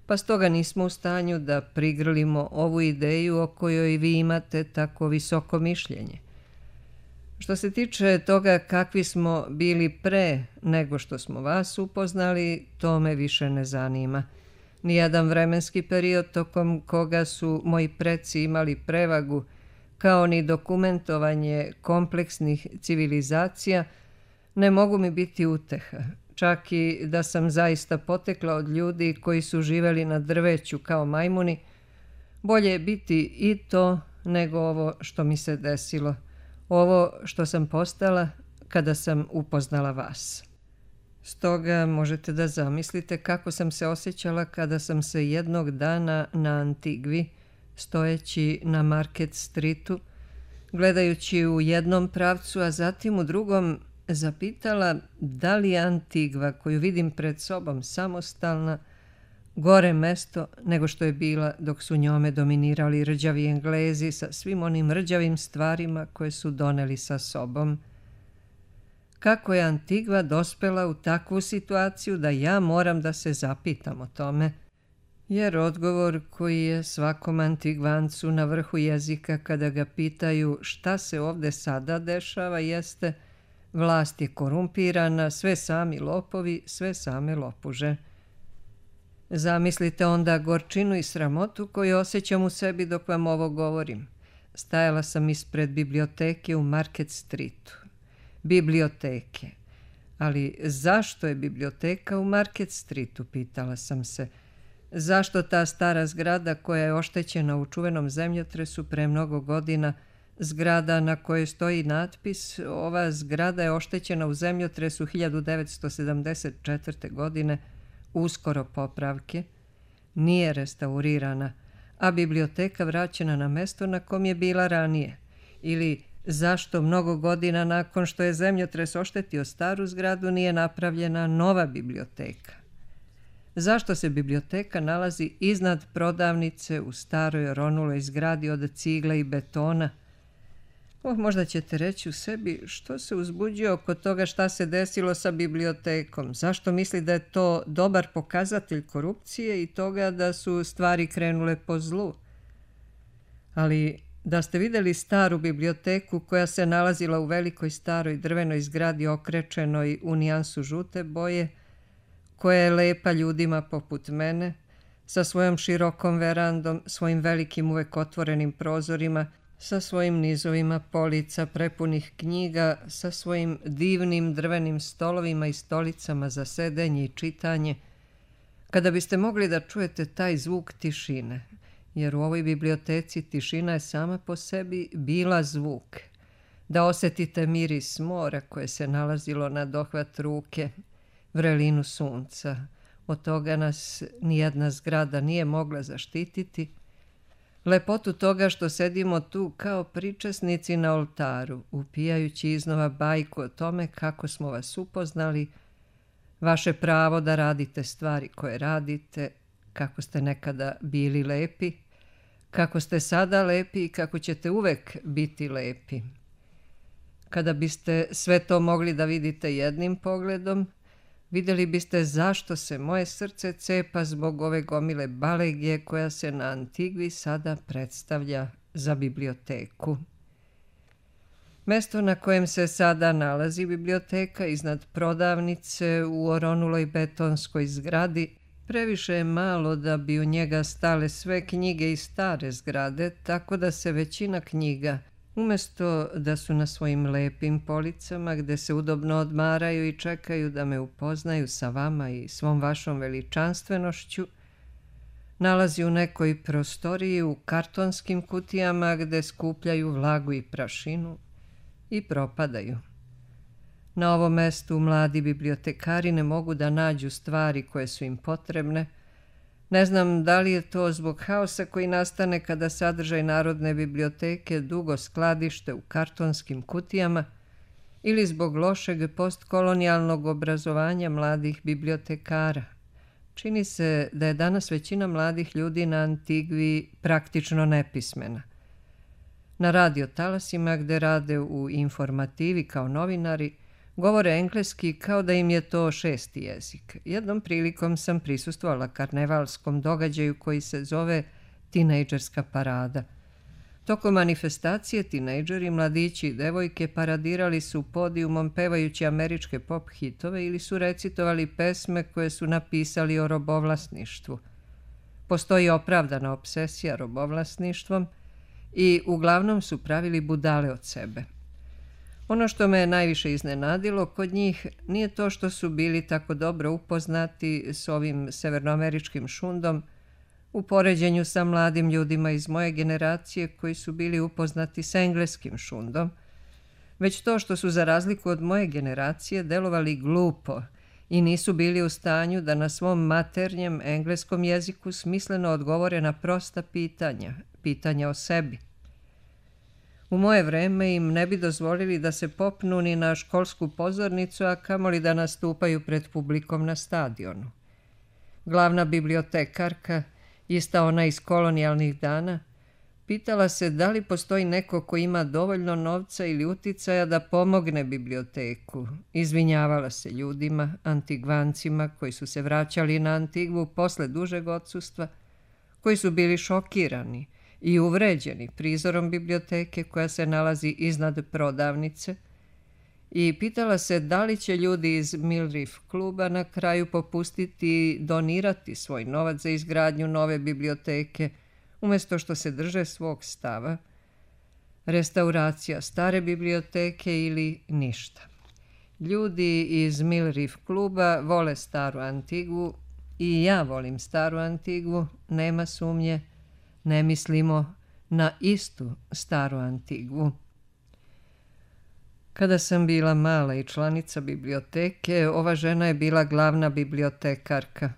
pa stoga nismo u stanju da prigrlimo ovu ideju o kojoj vi imate tako visoko mišljenje. Što se tiče toga kakvi smo bili pre nego što smo vas upoznali, to me više ne zanima. Nijedan vremenski period tokom koga su moji preci imali prevagu, kao ni dokumentovanje kompleksnih civilizacija, ne mogu mi biti uteha. Čak i da sam zaista potekla od ljudi koji su živeli na drveću kao majmuni, bolje je biti i to nego ovo što mi se desilo. Ovo što sam postala kada sam upoznala vas. Stoga možete da zamislite kako sam se osjećala kada sam se jednog dana na Antigvi, stojeći na Market Streetu, gledajući u jednom pravcu, a zatim u drugom, zapitala da li je Antigva koju vidim pred sobom samostalna, gore mesto nego što je bila dok su njome dominirali rđavi Englezi sa svim onim rđavim stvarima koje su doneli sa sobom. Kako je Antigva dospela u takvu situaciju da ja moram da se zapitam o tome, jer odgovor koji je svakom Antigvancu na vrhu jezika kada ga pitaju šta se ovde sada dešava jeste: vlast je korumpirana, sve sami lopovi, sve same lopuže. Zamislite onda gorčinu i sramotu koju osjećam u sebi dok vam ovo govorim. Stajala sam ispred biblioteke u Market Streetu. Biblioteke. Ali zašto je biblioteka u Market Streetu, pitala sam se. Zašto ta stara zgrada koja je oštećena u čuvenom zemljotresu pre mnogo godina, zgrada na kojoj stoji natpis "Ova zgrada je oštećena u zemljotresu hiljadu devetsto sedamdeset četvrte. godine, uskoro popravke", nije restaurirana, a biblioteka vraćena na mesto na kom je bila ranije? Ili zašto mnogo godina nakon što je zemljotres oštetio staru zgradu nije napravljena nova biblioteka? Zašto se biblioteka nalazi iznad prodavnice u staroj ronuloj zgradi od cigle i betona? Oh, možda ćete reći u sebi, što se uzbuđuje oko toga šta se desilo sa bibliotekom? Zašto misli da je to dobar pokazatelj korupcije i toga da su stvari krenule po zlu? Ali da ste vidjeli staru biblioteku koja se nalazila u velikoj staroj drvenoj zgradi okrečenoj u nijansu žute boje, koja je lepa ljudima poput mene, sa svojom širokom verandom, svojim velikim uvek otvorenim prozorima, sa svojim nizovima polica prepunih knjiga, sa svojim divnim drvenim stolovima i stolicama za sedenje i čitanje, kada biste mogli da čujete taj zvuk tišine, jer u ovoj biblioteci tišina je sama po sebi bila zvuk, da osjetite miris mora koje se nalazilo na dohvat ruke, vrelinu sunca, od toga nas nijedna zgrada nije mogla zaštititi, lepotu toga što sedimo tu kao pričesnici na oltaru, upijajući iznova bajku o tome kako smo vas upoznali, vaše pravo da radite stvari koje radite, kako ste nekada bili lepi, kako ste sada lepi i kako ćete uvek biti lepi. Kada biste sve to mogli da vidite jednim pogledom, vidjeli biste zašto se moje srce cepa zbog ove gomile balegije koja se na Antigvi sada predstavlja za biblioteku. Mesto na kojem se sada nalazi biblioteka iznad prodavnice u oronuloj betonskoj zgradi previše je malo da bi u njega stale sve knjige iz stare zgrade, tako da se većina knjiga, umjesto da su na svojim lepim policama gde se udobno odmaraju i čekaju da me upoznaju sa vama i svom vašom veličanstvenošću, nalazi u nekoj prostoriji u kartonskim kutijama gde skupljaju vlagu i prašinu i propadaju. Na ovom mestu mladi bibliotekari ne mogu da nađu stvari koje su im potrebne. Ne znam da li je to zbog haosa koji nastane kada sadržaj Narodne biblioteke dugo skladište u kartonskim kutijama ili zbog lošeg postkolonijalnog obrazovanja mladih bibliotekara. Čini se da je danas većina mladih ljudi na Antigvi praktično nepismena. Na radio talasima gde rade u informativi kao novinari, govore engleski kao da im je to šesti jezik. Jednom prilikom sam prisustvovala karnevalskom događaju koji se zove Tinejdžerska parada. Tokom manifestacije tinejdžeri, mladići i devojke paradirali su podijumom pevajući američke pop hitove ili su recitovali pesme koje su napisali o robovlasništvu. Postoji opravdana obsesija robovlasništvom i uglavnom su pravili budale od sebe. Ono što me najviše iznenadilo kod njih nije to što su bili tako dobro upoznati s ovim severnoameričkim šundom u poređenju sa mladim ljudima iz moje generacije koji su bili upoznati s engleskim šundom, već to što su za razliku od moje generacije delovali glupo i nisu bili u stanju da na svom maternjem engleskom jeziku smisleno odgovore na prosta pitanja, pitanja o sebi. U moje vreme im ne bi dozvolili da se popnu ni na školsku pozornicu, a kamoli da nastupaju pred publikom na stadionu. Glavna bibliotekarka, ista ona iz kolonijalnih dana, pitala se da li postoji neko ko ima dovoljno novca ili uticaja da pomogne biblioteku. Izvinjavala se ljudima, Antigvancima koji su se vraćali na Antigvu posle dužeg odsustva, koji su bili šokirani i uvređeni prizorom biblioteke koja se nalazi iznad prodavnice, i pitala se da li će ljudi iz Mill Reef kluba na kraju popustiti i donirati svoj novac za izgradnju nove biblioteke, umjesto što se drže svog stava, restauracija stare biblioteke ili ništa. Ljudi iz Mill Reef kluba vole staru Antigvu i ja volim staru Antigvu, nema sumnje, ne mislimo na istu staru Antigvu. Kada sam bila mala i članica biblioteke, ova žena je bila glavna bibliotekarka.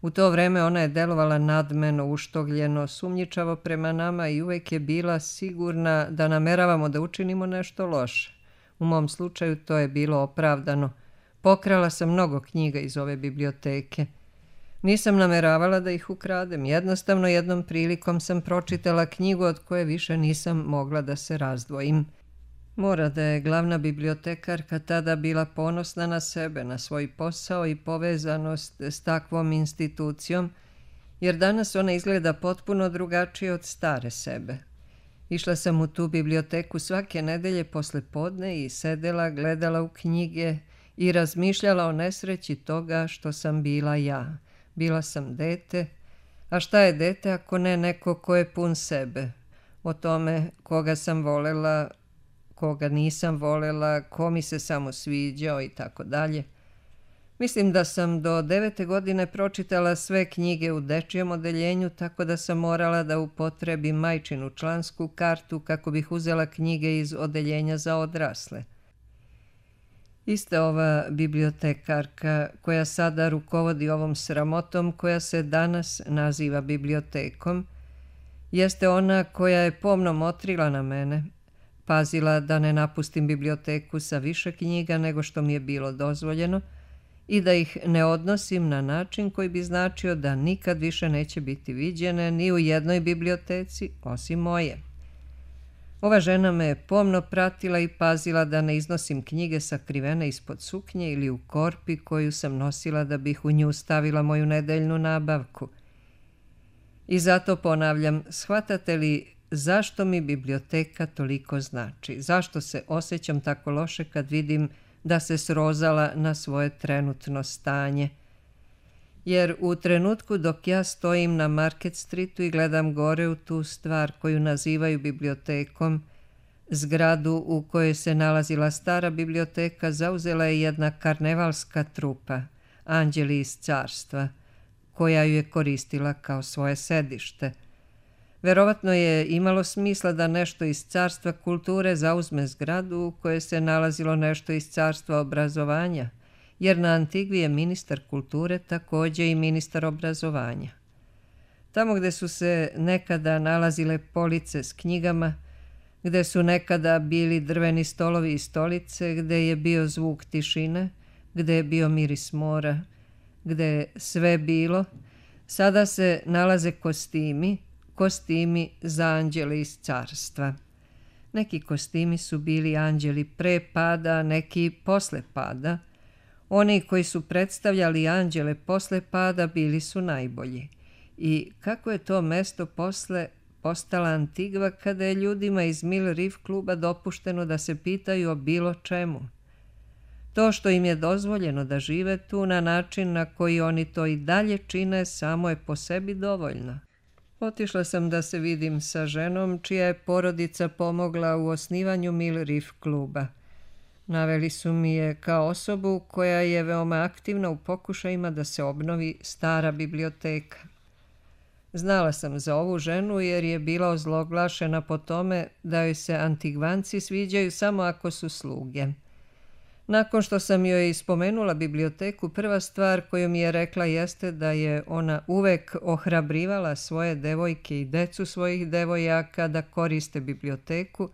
U to vreme ona je delovala nadmeno, uštogljeno, sumnjičavo prema nama i uvek je bila sigurna da nameravamo da učinimo nešto loše. U mom slučaju to je bilo opravdano. Pokrala sam mnogo knjiga iz ove biblioteke. Nisam nameravala da ih ukradem. Jednostavno jednom prilikom sam pročitala knjigu od koje više nisam mogla da se razdvojim. Mora da je glavna bibliotekarka tada bila ponosna na sebe, na svoj posao i povezanost s takvom institucijom, jer danas ona izgleda potpuno drugačije od stare sebe. Išla sam u tu biblioteku svake nedelje posle podne i sedela, gledala u knjige i razmišljala o nesreći toga što sam bila ja. Bila sam dete, a šta je dete ako ne neko ko je pun sebe? O tome koga sam volela, koga nisam volela, ko mi se samo sviđao i tako dalje. Mislim da sam do devete godine pročitala sve knjige u dečijem odeljenju, tako da sam morala da upotrebim majčinu člansku kartu kako bih uzela knjige iz odeljenja za odrasle. Ista ova bibliotekarka koja sada rukovodi ovom sramotom koja se danas naziva bibliotekom, jeste ona koja je pomno motrila na mene, pazila da ne napustim biblioteku sa više knjiga nego što mi je bilo dozvoljeno i da ih ne odnosim na način koji bi značio da nikad više neće biti viđene ni u jednoj biblioteci osim moje. Ova žena me je pomno pratila i pazila da ne iznosim knjige sakrivene ispod suknje ili u korpi koju sam nosila da bih u nju stavila moju nedeljnu nabavku. I zato ponavljam, shvatate li zašto mi biblioteka toliko znači? Zašto se osjećam tako loše kad vidim da se srozala na svoje trenutno stanje? Jer u trenutku dok ja stojim na Market Streetu i gledam gore u tu stvar koju nazivaju bibliotekom, zgradu u kojoj se nalazila stara biblioteka zauzela je jedna karnevalska trupa, anđeli iz carstva, koja ju je koristila kao svoje sedište. Verovatno je imalo smisla da nešto iz carstva kulture zauzme zgradu u kojoj se nalazilo nešto iz carstva obrazovanja, jer na Antigvi je ministar kulture također i ministar obrazovanja. Tamo gde su se nekada nalazile police s knjigama, gde su nekada bili drveni stolovi i stolice, gde je bio zvuk tišine, gde je bio miris mora, gde je sve bilo, sada se nalaze kostimi, kostimi za anđele iz carstva. Neki kostimi su bili anđeli pre pada, neki posle pada. Oni koji su predstavljali anđele posle pada bili su najbolji. I kako je to mesto posle postala Antigva kada je ljudima iz Mill Reef kluba dopušteno da se pitaju o bilo čemu? To što im je dozvoljeno da žive tu na način na koji oni to i dalje čine samo je po sebi dovoljno. Otišla sam da se vidim sa ženom čija je porodica pomogla u osnivanju Mill Reef kluba. Naveli su mi je kao osobu koja je veoma aktivna u pokušajima da se obnovi stara biblioteka. Znala sam za ovu ženu jer je bila ozloglašena po tome da joj se Antigvanci sviđaju samo ako su sluge. Nakon što sam joj spomenula biblioteku, prva stvar koju mi je rekla jeste da je ona uvek ohrabrivala svoje devojke i decu svojih devojaka da koriste biblioteku,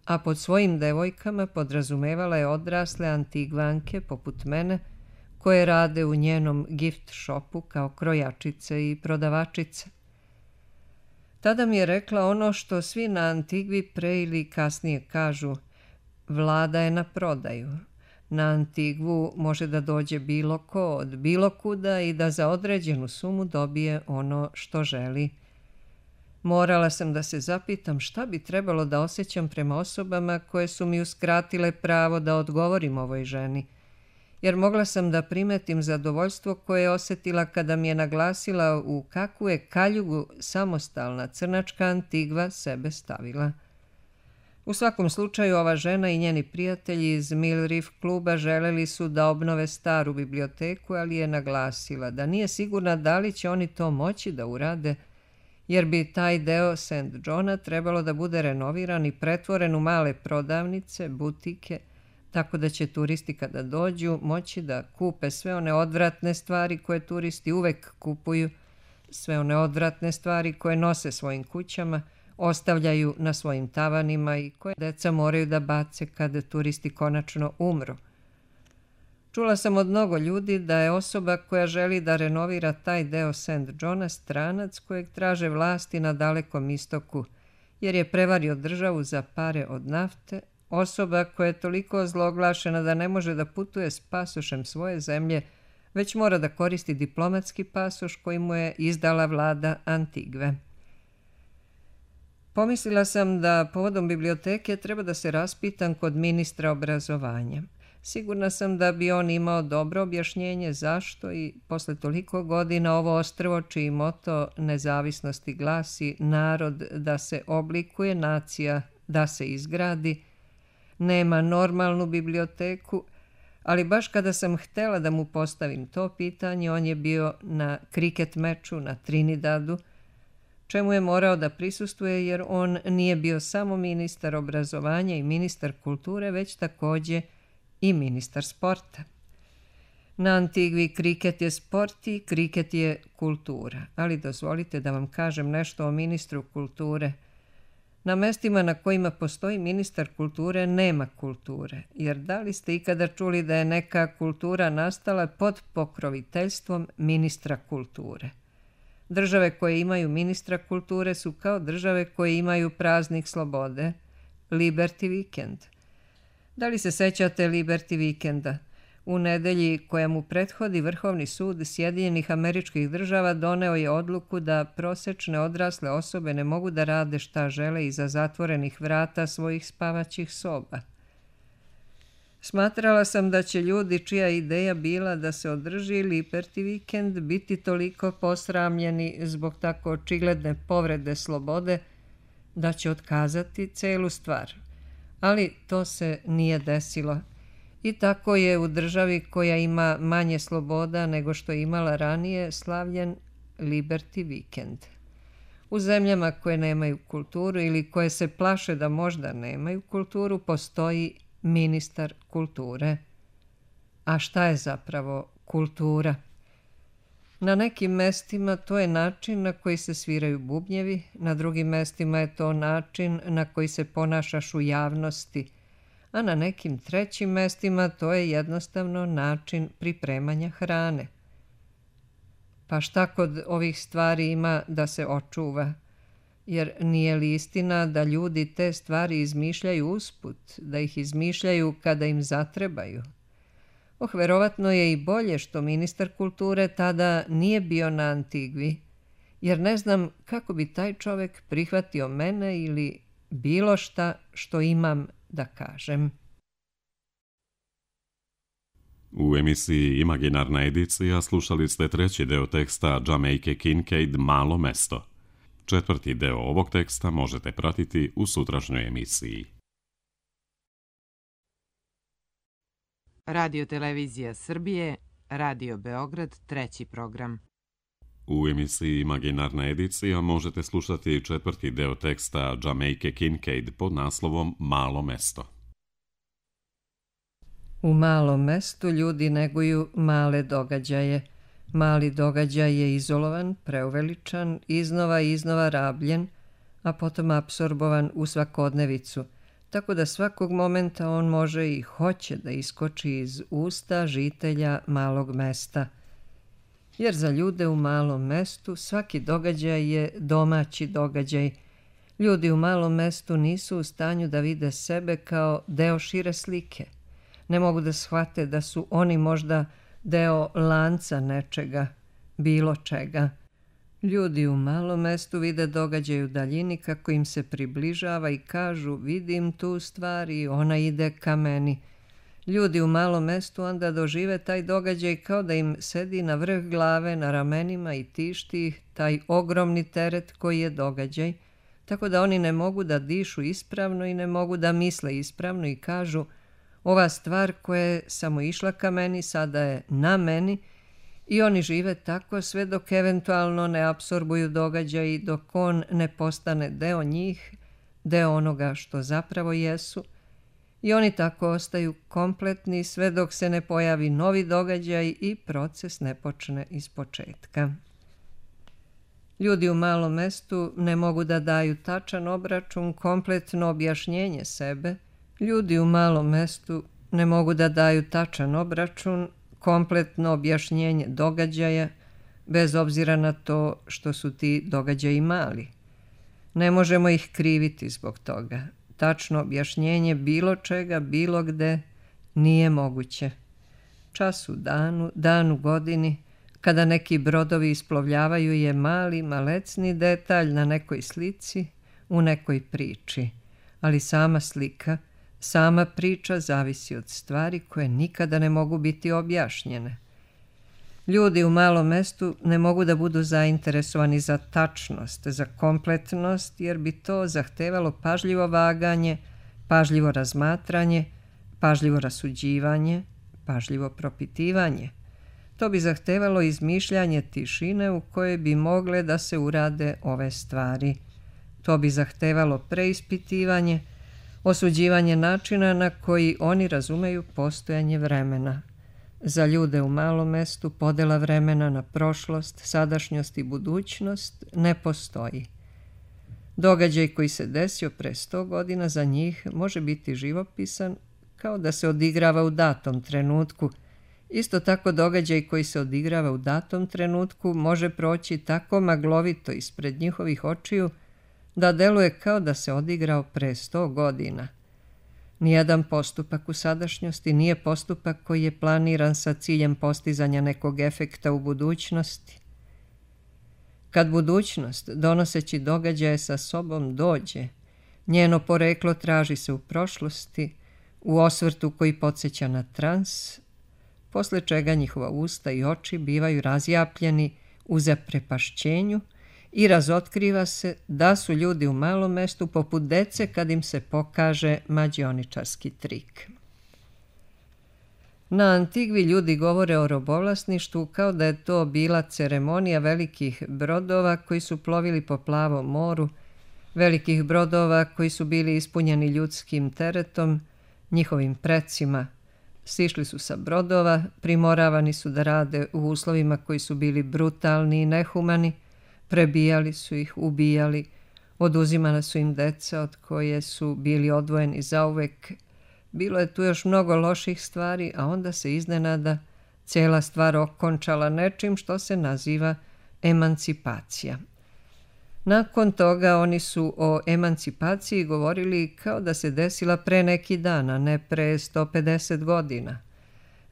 a pod svojim devojkama podrazumevala je odrasle Antigvanke poput mene, koje rade u njenom gift shopu kao krojačice i prodavačice. Tada mi je rekla ono što svi na Antigvi pre ili kasnije kažu: vlada je na prodaju. Na Antigvu može da dođe bilo ko od bilo kuda i da za određenu sumu dobije ono što želi. Morala sam da se zapitam šta bi trebalo da osjećam prema osobama koje su mi uskratile pravo da odgovorim ovoj ženi, jer mogla sam da primetim zadovoljstvo koje je osjetila kada mi je naglasila u kakvu je kaljugu samostalna crnačka Antigva sebe stavila. U svakom slučaju, ova žena i njeni prijatelji iz Mill Reef kluba želeli su da obnove staru biblioteku, ali je naglasila da nije sigurna da li će oni to moći da urade, jer bi taj deo Saint Johna trebalo da bude renoviran i pretvoren u male prodavnice, butike, tako da će turisti kada dođu moći da kupe sve one odvratne stvari koje turisti uvek kupuju, sve one odvratne stvari koje nose svojim kućama, ostavljaju na svojim tavanima i koje deca moraju da bace kada turisti konačno umru. Čula sam od mnogo ljudi da je osoba koja želi da renovira taj deo Saint Johna stranac kojeg traže vlasti na Dalekom istoku, jer je prevario državu za pare od nafte, osoba koja je toliko ozloglašena da ne može da putuje s pasošem svoje zemlje, već mora da koristi diplomatski pasoš koji mu je izdala vlada Antigve. Pomislila sam da povodom biblioteke treba da se raspitam kod ministra obrazovanja. Sigurna sam da bi on imao dobro objašnjenje zašto i posle toliko godina ovo ostrvo čiji moto nezavisnosti glasi narod da se oblikuje, nacija da se izgradi, nema normalnu biblioteku, ali baš kada sam htela da mu postavim to pitanje, on je bio na kriket meču na Trinidadu, čemu je morao da prisustvuje jer on nije bio samo ministar obrazovanja i ministar kulture, već također i ministar sporta. Na Antigvi kriket je sport i kriket je kultura, ali dozvolite da vam kažem nešto o ministru kulture. Na mestima na kojima postoji ministar kulture nema kulture, jer da li ste ikada čuli da je neka kultura nastala pod pokroviteljstvom ministra kulture? Države koje imaju ministra kulture su kao države koje imaju praznik slobode, Liberty Weekend. Da li se sećate Liberty Weekenda? U nedelji koja mu prethodi Vrhovni sud Sjedinjenih Američkih Država doneo je odluku da prosečne odrasle osobe ne mogu da rade šta žele iza zatvorenih vrata svojih spavaćih soba. Smatrala sam da će ljudi čija ideja bila da se održi Liberty Weekend biti toliko posramljeni zbog tako očigledne povrede slobode da će otkazati celu stvar. Ali to se nije desilo. I tako je u državi koja ima manje sloboda nego što je imala ranije slavljen Liberty Weekend. U zemljama koje nemaju kulturu ili koje se plaše da možda nemaju kulturu, postoji ministar kulture. A šta je zapravo kultura? Na nekim mestima to je način na koji se sviraju bubnjevi, na drugim mestima je to način na koji se ponašaš u javnosti, a na nekim trećim mestima to je jednostavno način pripremanja hrane. Pa šta kod ovih stvari ima da se očuva? Jer nije li istina da ljudi te stvari izmišljaju usput, da ih izmišljaju kada im zatrebaju? Oh, verovatno je i bolje što ministar kulture tada nije bio na Antigvi, jer ne znam kako bi taj čovek prihvatio mene ili bilo šta što imam da kažem. U emisiji Imaginarna edicija slušali ste treći deo teksta Jamaice Kincaid Malo mesto. Četvrti deo ovog teksta možete pratiti u sutrašnjoj emisiji. Radio Televizija Srbije, Radio Beograd, treći program. U emisiji Imaginarna edicija možete slušati četvrti deo teksta Jamaice Kincaid pod naslovom Malo mesto. U malom mestu ljudi neguju male događaje. Mali događaj je izolovan, preuveličan, iznova i iznova rabljen, a potom apsorbovan u svakodnevicu, tako da svakog momenta on može i hoće da iskoči iz usta žitelja malog mesta. Jer za ljude u malom mestu svaki događaj je domaći događaj. Ljudi u malom mestu nisu u stanju da vide sebe kao deo šire slike. Ne mogu da shvate da su oni možda deo lanca nečega, bilo čega. Ljudi u malom mestu vide događaj u daljini kako im se približava i kažu vidim tu stvar i ona ide ka meni. Ljudi u malom mestu onda dožive taj događaj kao da im sedi na vrh glave, na ramenima i tišti ih taj ogromni teret koji je događaj, tako da oni ne mogu da dišu ispravno i ne mogu da misle ispravno i kažu ova stvar koja je samo išla ka meni, sada je na meni i oni žive tako sve dok eventualno ne apsorbuju događaj i dok on ne postane deo njih, deo onoga što zapravo jesu i oni tako ostaju kompletni sve dok se ne pojavi novi događaj i proces ne počne iz početka. Ljudi u malom mestu ne mogu da daju tačan obračun, kompletno objašnjenje sebe. Ljudi u malom mestu ne mogu da daju tačan obračun, kompletno objašnjenje događaja, bez obzira na to što su ti događaji mali. Ne možemo ih kriviti zbog toga. Tačno objašnjenje bilo čega, bilo gde, nije moguće. Čas u danu, dan u godini, kada neki brodovi isplovljavaju je mali, malecni detalj na nekoj slici, u nekoj priči, ali sama slika, sama priča zavisi od stvari koje nikada ne mogu biti objašnjene. Ljudi u malom mestu ne mogu da budu zainteresovani za tačnost, za kompletnost, jer bi to zahtevalo pažljivo vaganje, pažljivo razmatranje, pažljivo rasuđivanje, pažljivo propitivanje. To bi zahtevalo izmišljanje tišine u kojoj bi mogle da se urade ove stvari. To bi zahtevalo preispitivanje, osuđivanje načina na koji oni razumeju postojanje vremena. Za ljude u malom mestu podela vremena na prošlost, sadašnjost i budućnost ne postoji. Događaj koji se desio pre sto godina za njih može biti živopisan kao da se odigrava u datom trenutku. Isto tako događaj koji se odigrava u datom trenutku može proći tako maglovito ispred njihovih očiju da deluje kao da se odigrao pre sto godina. Nijedan postupak u sadašnjosti nije postupak koji je planiran sa ciljem postizanja nekog efekta u budućnosti. Kad budućnost, donoseći događaje sa sobom, dođe, njeno poreklo traži se u prošlosti, u osvrtu koji podsjeća na trans, posle čega njihova usta i oči bivaju razjapljeni u zaprepašćenju i razotkriva se da su ljudi u malom mestu poput dece kad im se pokaže mađioničarski trik. Na Antigvi ljudi govore o robovlasništvu kao da je to bila ceremonija velikih brodova koji su plovili po plavom moru, velikih brodova koji su bili ispunjeni ljudskim teretom, njihovim precima. Sišli su sa brodova, primoravani su da rade u uslovima koji su bili brutalni i nehumani, prebijali su ih, ubijali, oduzimana su im deca od koje su bili odvojeni zauvek. Bilo je tu još mnogo loših stvari, a onda se iznenada cijela stvar okončala nečim što se naziva emancipacija. Nakon toga oni su o emancipaciji govorili kao da se desila pre neki dan, a ne pre sto pedeset godina.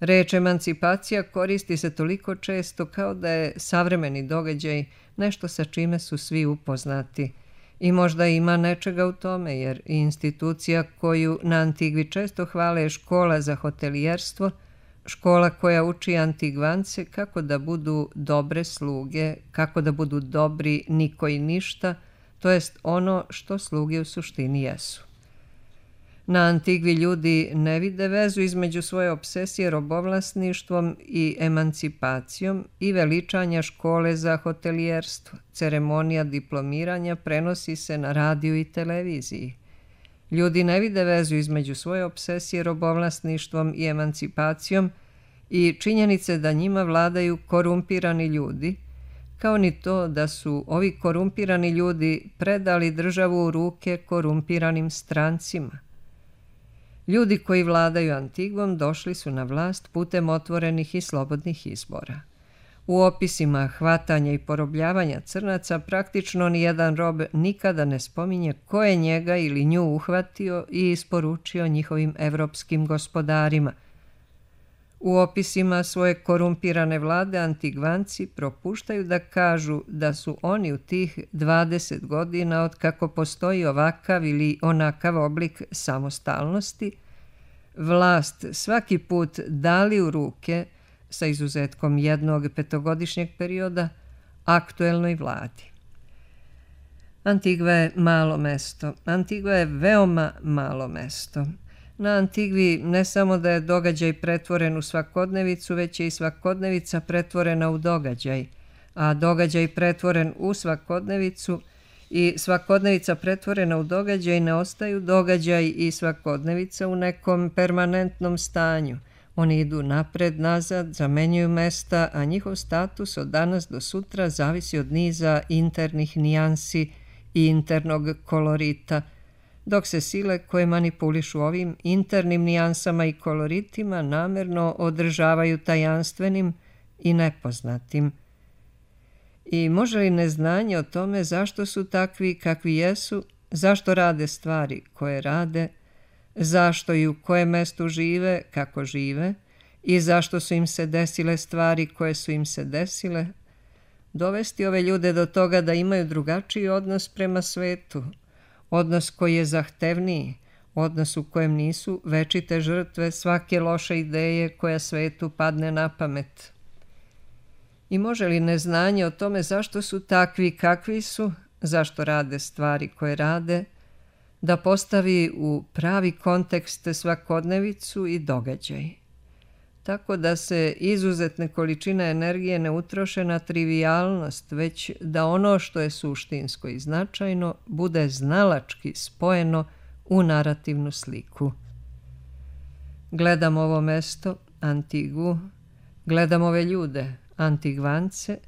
Reč emancipacija koristi se toliko često kao da je savremeni događaj nešto sa čime su svi upoznati. I možda ima nečega u tome, jer institucija koju na Antigvi često hvale je škola za hotelijerstvo, škola koja uči Antigvance kako da budu dobre sluge, kako da budu dobri niko i ništa, to jest ono što sluge u suštini jesu. Na Antigvi ljudi ne vide vezu između svoje obsesije robovlasništvom i emancipacijom i veličanja škole za hotelijerstvo. Ceremonija diplomiranja prenosi se na radiju i televiziji. Ljudi ne vide vezu između svoje obsesije robovlasništvom i emancipacijom i činjenice da njima vladaju korumpirani ljudi, kao ni to da su ovi korumpirani ljudi predali državu u ruke korumpiranim strancima. Ljudi koji vladaju Antigvom došli su na vlast putem otvorenih i slobodnih izbora. U opisima hvatanja i porobljavanja crnaca praktično nijedan rob nikada ne spominje ko je njega ili nju uhvatio i isporučio njihovim evropskim gospodarima. U opisima svoje korumpirane vlade Antigvanci propuštaju da kažu da su oni u tih dvadeset godina od kako postoji ovakav ili onakav oblik samostalnosti, vlast svaki put dali u ruke, sa izuzetkom jednog petogodišnjeg perioda, aktuelnoj vladi. Antigva je malo mesto. Antigva je veoma malo mesto. Na Antigvi ne samo da je događaj pretvoren u svakodnevicu, već je i svakodnevica pretvorena u događaj, a događaj pretvoren u svakodnevicu i svakodnevica pretvorena u događaj ne ostaju događaj i svakodnevica u nekom permanentnom stanju. Oni idu napred, nazad, zamenjuju mesta, a njihov status od danas do sutra zavisi od niza internih nijansi i internog kolorita, dok se sile koje manipulišu ovim internim nijansama i koloritima namerno održavaju tajanstvenim i nepoznatim. I može li neznanje o tome zašto su takvi kakvi jesu, zašto rade stvari koje rade, zašto i u kojem mestu žive, kako žive i zašto su im se desile stvari koje su im se desile, dovesti ove ljude do toga da imaju drugačiji odnos prema svetu, odnos koji je zahtevniji, odnos u kojem nisu večite žrtve svake loše ideje koja svetu padne na pamet. I može li neznanje o tome zašto su takvi kakvi su, zašto rade stvari koje rade, da postavi u pravi kontekst svakodnevicu i događaj, tako da se izuzetne količine energije ne utroše na trivijalnost, već da ono što je suštinsko i značajno bude znalački spojeno u narativnu sliku. Gledam ovo mesto, Antigvu, gledam ove ljude, Antigvance,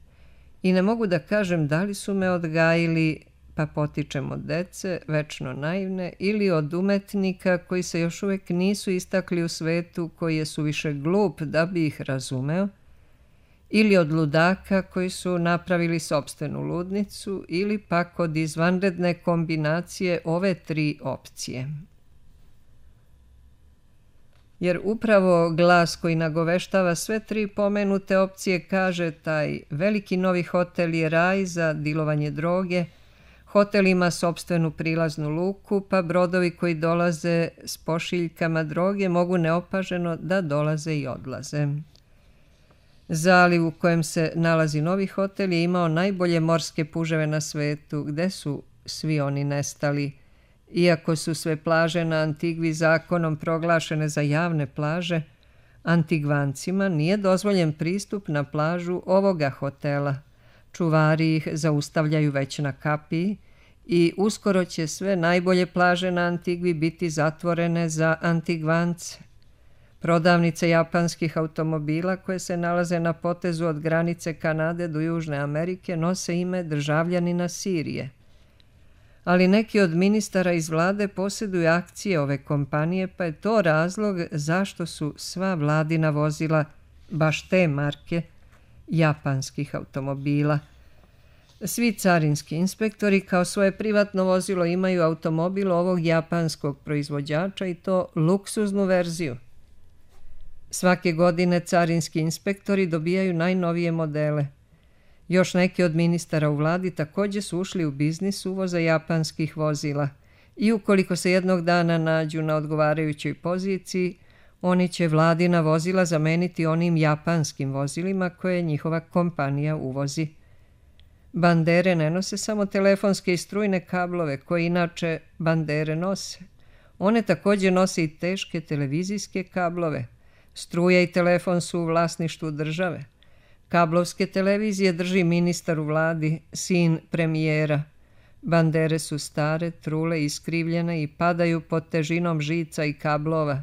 i ne mogu da kažem da li su me odgajili, pa potičem od dece, večno naivne, ili od umetnika koji se još uvijek nisu istakli u svetu, koji je suviše glup da bi ih razumeo, ili od ludaka koji su napravili sopstvenu ludnicu, ili pak od izvanredne kombinacije ove tri opcije. Jer upravo glas koji nagoveštava sve tri pomenute opcije kaže taj veliki novi hotel je raj za dilovanje droge, hotel ima sopstvenu prilaznu luku, pa brodovi koji dolaze s pošiljkama droge mogu neopaženo da dolaze i odlaze. Zaliv u kojem se nalazi novi hotel je imao najbolje morske puževe na svetu, gde su svi oni nestali. Iako su sve plaže na Antigvi zakonom proglašene za javne plaže, Antigvancima nije dozvoljen pristup na plažu ovoga hotela. Čuvari ih zaustavljaju već na kapiji i uskoro će sve najbolje plaže na Antigvi biti zatvorene za Antigvance. Prodavnice japanskih automobila koje se nalaze na potezu od granice Kanade do Južne Amerike nose ime državljanina Sirije. Ali neki od ministara iz vlade posjeduju akcije ove kompanije, pa je to razlog zašto su sva vladina vozila, baš te marke, japanskih automobila. Svi carinski inspektori kao svoje privatno vozilo imaju automobil ovog japanskog proizvođača i to luksuznu verziju. Svake godine carinski inspektori dobijaju najnovije modele. Još neki od ministara u vladi također su ušli u biznis uvoza japanskih vozila i ukoliko se jednog dana nađu na odgovarajućoj poziciji, oni će vladina vozila zameniti onim japanskim vozilima koje njihova kompanija uvozi. Bandere ne nose samo telefonske i strujne kablove koje inače bandere nose. One također nose i teške televizijske kablove. Struja i telefon su u vlasništvu države. Kablovske televizije drži ministar u vladi, sin premijera. Bandere su stare, trule i iskrivljene i padaju pod težinom žica i kablova.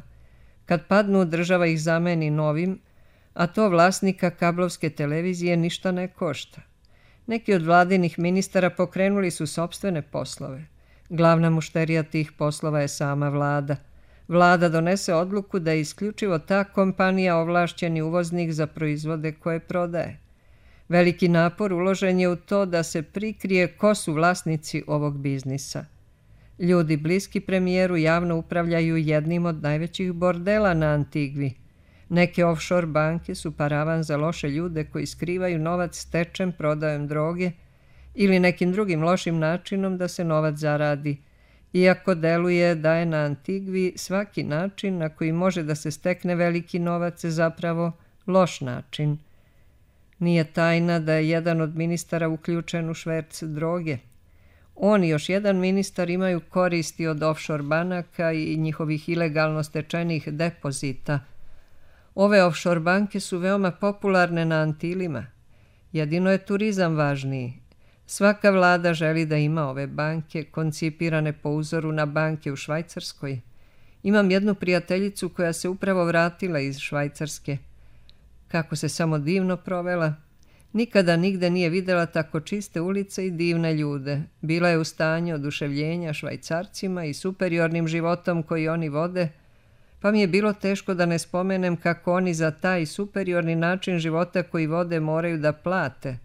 Kad padnu, država ih zameni novim, a to vlasnika kablovske televizije ništa ne košta. Neki od vladinih ministara pokrenuli su sopstvene poslove. Glavna mušterija tih poslova je sama vlada. Vlada donese odluku da je isključivo ta kompanija ovlašćeni uvoznik za proizvode koje prodaje. Veliki napor uložen je u to da se prikrije ko su vlasnici ovog biznisa. Ljudi bliski premijeru javno upravljaju jednim od najvećih bordela na Antigvi. Neke offshore banke su paravan za loše ljude koji skrivaju novac stečem prodajom droge ili nekim drugim lošim načinom da se novac zaradi, iako deluje da je na Antigvi svaki način na koji može da se stekne veliki novac zapravo loš način. Nije tajna da je jedan od ministara uključen u šverc droge. On i još jedan ministar imaju koristi od offshore banaka i njihovih ilegalno stečenih depozita. Ove offshore banke su veoma popularne na Antilima. Jedino je turizam važniji. Svaka vlada želi da ima ove banke, koncipirane po uzoru na banke u Švajcarskoj. Imam jednu prijateljicu koja se upravo vratila iz Švajcarske. Kako se samo divno provela. Nikada nigde nije videla tako čiste ulice i divne ljude. Bila je u stanju oduševljenja Švajcarcima i superiornim životom koji oni vode, pa mi je bilo teško da ne spomenem kako oni za taj superiorni način života koji vode moraju da plate.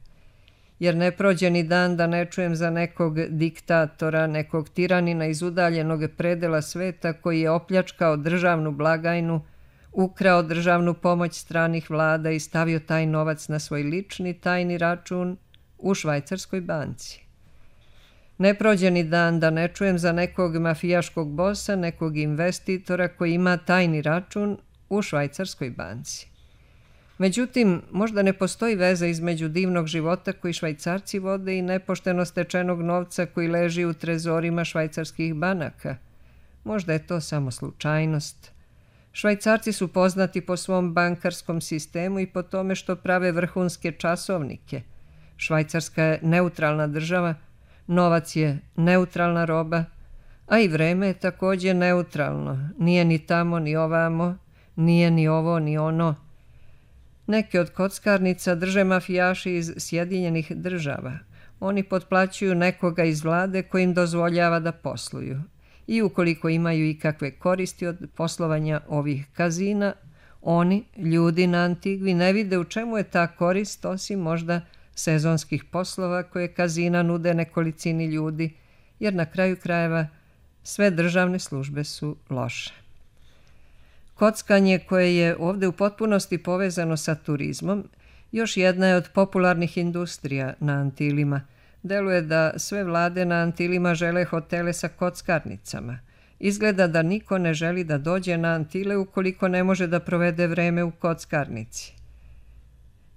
Jer ne prođe ni dan da ne čujem za nekog diktatora, nekog tiranina iz udaljenog predela sveta koji je opljačkao državnu blagajnu, ukrao državnu pomoć stranih vlada i stavio taj novac na svoj lični tajni račun u švajcarskoj banci. Ne prođe ni dan da ne čujem za nekog mafijaškog bosa, nekog investitora koji ima tajni račun u švajcarskoj banci. Međutim, možda ne postoji veza između divnog života koji Švajcarci vode i nepošteno stečenog novca koji leži u trezorima švajcarskih banaka. Možda je to samo slučajnost. Švajcarci su poznati po svom bankarskom sistemu i po tome što prave vrhunske časovnike. Švajcarska je neutralna država, novac je neutralna roba, a i vreme je također neutralno. Nije ni tamo, ni ovamo, nije ni ovo, ni ono. Neke od kockarnica drže mafijaši iz Sjedinjenih država. Oni potplaćuju nekoga iz vlade koji im dozvoljava da posluju. I ukoliko imaju ikakve koristi od poslovanja ovih kazina, oni, ljudi na Antigvi, ne vide u čemu je ta korist osim možda sezonskih poslova koje kazina nude nekolicini ljudi, jer na kraju krajeva sve državne službe su loše. Kockanje koje je ovdje u potpunosti povezano sa turizmom, još jedna je od popularnih industrija na Antilima. Deluje da sve vlade na Antilima žele hotele sa kockarnicama. Izgleda da niko ne želi da dođe na Antile ukoliko ne može da provede vreme u kockarnici.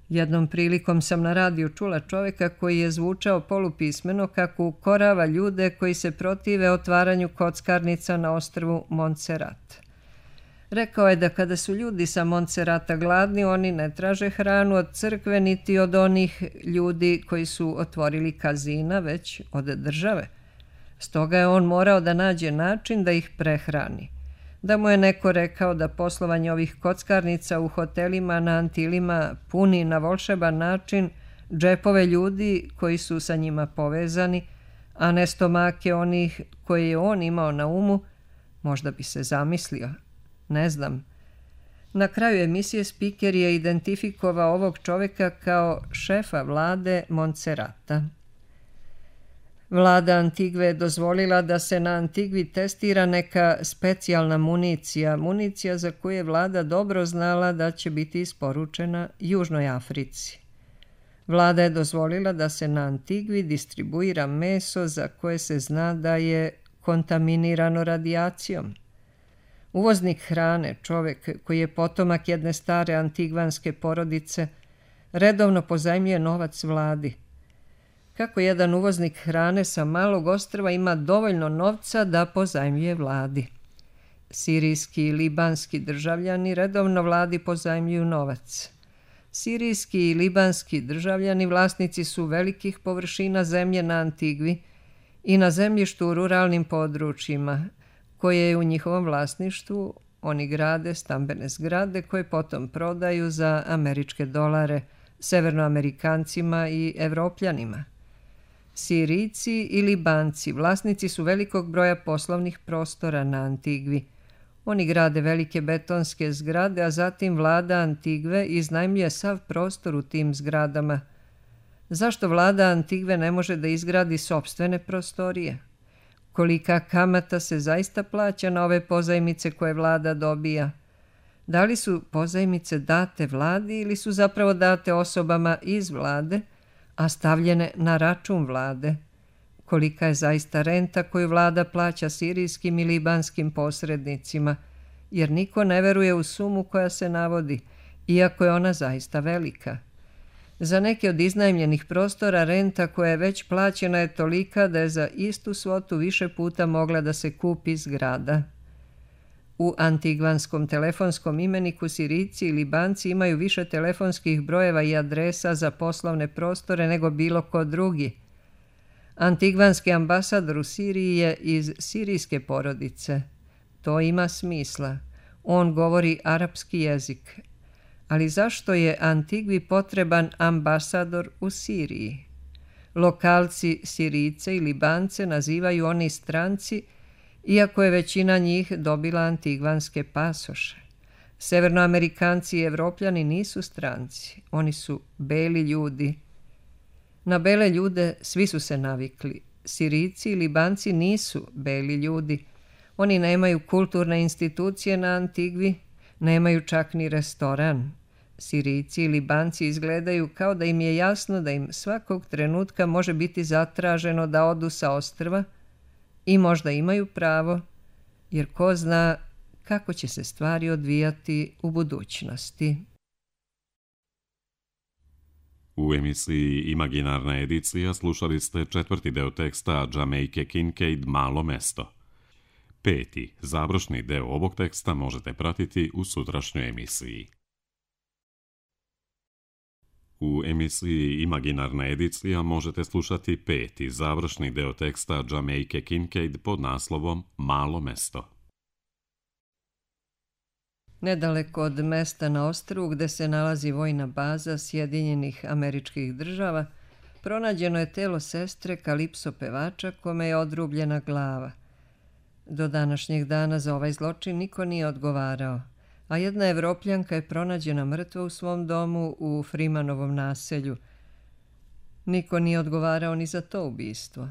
Jednom prilikom sam na radiju čula čovjeka koji je zvučao polupismeno kako ukorava ljude koji se protive otvaranju kockarnica na ostrvu Montserrat. Rekao je da kada su ljudi sa Montserrata gladni, oni ne traže hranu od crkve niti od onih ljudi koji su otvorili kazina, već od države. Stoga je on morao da nađe način da ih prehrani. Da mu je neko rekao da poslovanje ovih kockarnica u hotelima na Antilima puni na volšeban način džepove ljudi koji su sa njima povezani, a ne stomake onih koje je on imao na umu, možda bi se zamislio. Ne znam. Na kraju emisije spiker je identifikovao ovog čoveka kao šefa vlade Montserrata. Vlada Antigve je dozvolila da se na Antigvi testira neka specijalna municija, municija za koju je vlada dobro znala da će biti isporučena Južnoj Africi. Vlada je dozvolila da se na Antigvi distribuira meso za koje se zna da je kontaminirano radijacijom. Uvoznik hrane, čovek koji je potomak jedne stare antigvanske porodice, redovno pozajmljuje novac vladi. Kako jedan uvoznik hrane sa malog ostrva ima dovoljno novca da pozajmljuje vladi. Sirijski i libanski državljani redovno vladi pozajmljuju novac. Sirijski i libanski državljani vlasnici su velikih površina zemlje na Antigvi i na zemljištu u ruralnim područjima, koje je u njihovom vlasništvu. Oni grade stambene zgrade koje potom prodaju za američke dolare severnoamerikancima i evropljanima. Sirijci i Libanci vlasnici su velikog broja poslovnih prostora na Antigvi. Oni grade velike betonske zgrade, a zatim vlada Antigve iznajmljuje sav prostor u tim zgradama. Zašto vlada Antigve ne može da izgradi sopstvene prostorije? Kolika kamata se zaista plaća na ove pozajmice koje vlada dobija? Da li su pozajmice date vladi ili su zapravo date osobama iz vlade, a stavljene na račun vlade? Kolika je zaista renta koju vlada plaća sirijskim i libanskim posrednicima, jer niko ne veruje u sumu koja se navodi, iako je ona zaista velika. Za neke od iznajmljenih prostora renta koja je već plaćena je tolika da je za istu svotu više puta mogla da se kupi zgrada. U antigvanskom telefonskom imeniku Sirijci i Libanci imaju više telefonskih brojeva i adresa za poslovne prostore nego bilo ko drugi. Antigvanski ambasador u Siriji je iz sirijske porodice. To ima smisla. On govori arapski jezik. Ali zašto je Antigvi potreban ambasador u Siriji? Lokalci Sirijce i Libance nazivaju oni stranci, iako je većina njih dobila antigvanske pasoše. Severnoamerikanci i Evropljani nisu stranci, oni su beli ljudi. Na bele ljude svi su se navikli. Sirijci i Libanci nisu beli ljudi. Oni nemaju kulturne institucije na Antigvi, nemaju čak ni restoran. Sirijci i Libanci izgledaju kao da im je jasno da im svakog trenutka može biti zatraženo da odu sa ostrva i možda imaju pravo, jer ko zna kako će se stvari odvijati u budućnosti. U emisiji Imaginarna edicija slušali ste četvrti deo teksta Jamaica Kincaid Malo mesto. Peti, završni deo ovog teksta možete pratiti u sutrašnjoj emisiji. U emisiji Imaginarna edicija možete slušati peti, završni deo teksta Jamaica Kincaid pod naslovom Malo mesto. Nedaleko od mesta na ostrvu gde se nalazi vojna baza Sjedinjenih Američkih Država, pronađeno je telo sestre Kalipso pevača kome je odrubljena glava. Do današnjeg dana za ovaj zločin niko nije odgovarao, a jedna Evropljanka je pronađena mrtva u svom domu u Freemanovom naselju. Niko nije odgovarao ni za to ubistvo.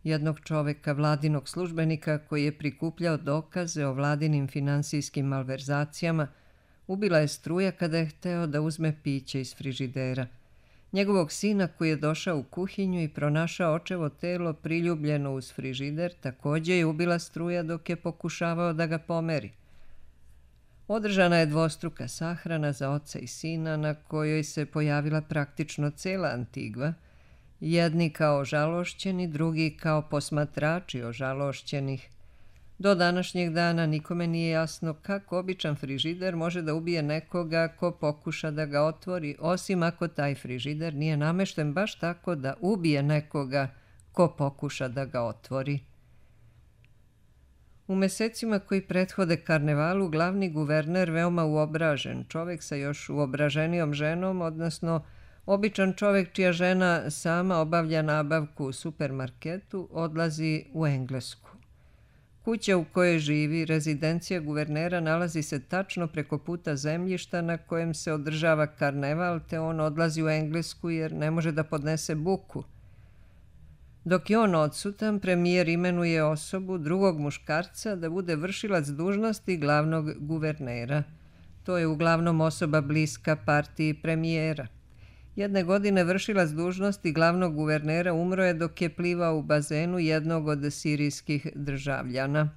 Jednog čoveka, vladinog službenika koji je prikupljao dokaze o vladinim finansijskim malverzacijama, ubila je struja kada je hteo da uzme piće iz frižidera. Njegovog sina koji je došao u kuhinju i pronašao očevo telo priljubljeno uz frižider također je ubila struja dok je pokušavao da ga pomeri. Održana je dvostruka sahrana za oca i sina na kojoj se pojavila praktično cela Antigva, jedni kao ožalošćeni, drugi kao posmatrači ožalošćenih. Do današnjeg dana nikome nije jasno kako običan frižider može da ubije nekoga ko pokuša da ga otvori, osim ako taj frižider nije namešten baš tako da ubije nekoga ko pokuša da ga otvori. U mesecima koji prethode karnevalu, glavni guverner, veoma uobražen, čovek sa još uobraženijom ženom, odnosno običan čovek čija žena sama obavlja nabavku u supermarketu, odlazi u Englesku. Kuća u kojoj živi, rezidencija guvernera, nalazi se tačno preko puta zemljišta na kojem se održava karneval, te on odlazi u Englesku jer ne može da podnese buku. Dok je on odsutan, premijer imenuje osobu, drugog muškarca, da bude vršilac dužnosti glavnog guvernera. To je uglavnom osoba bliska partiji premijera. Jedne godine vršilac dužnosti glavnog guvernera umro je dok je plivao u bazenu jednog od sirijskih državljana.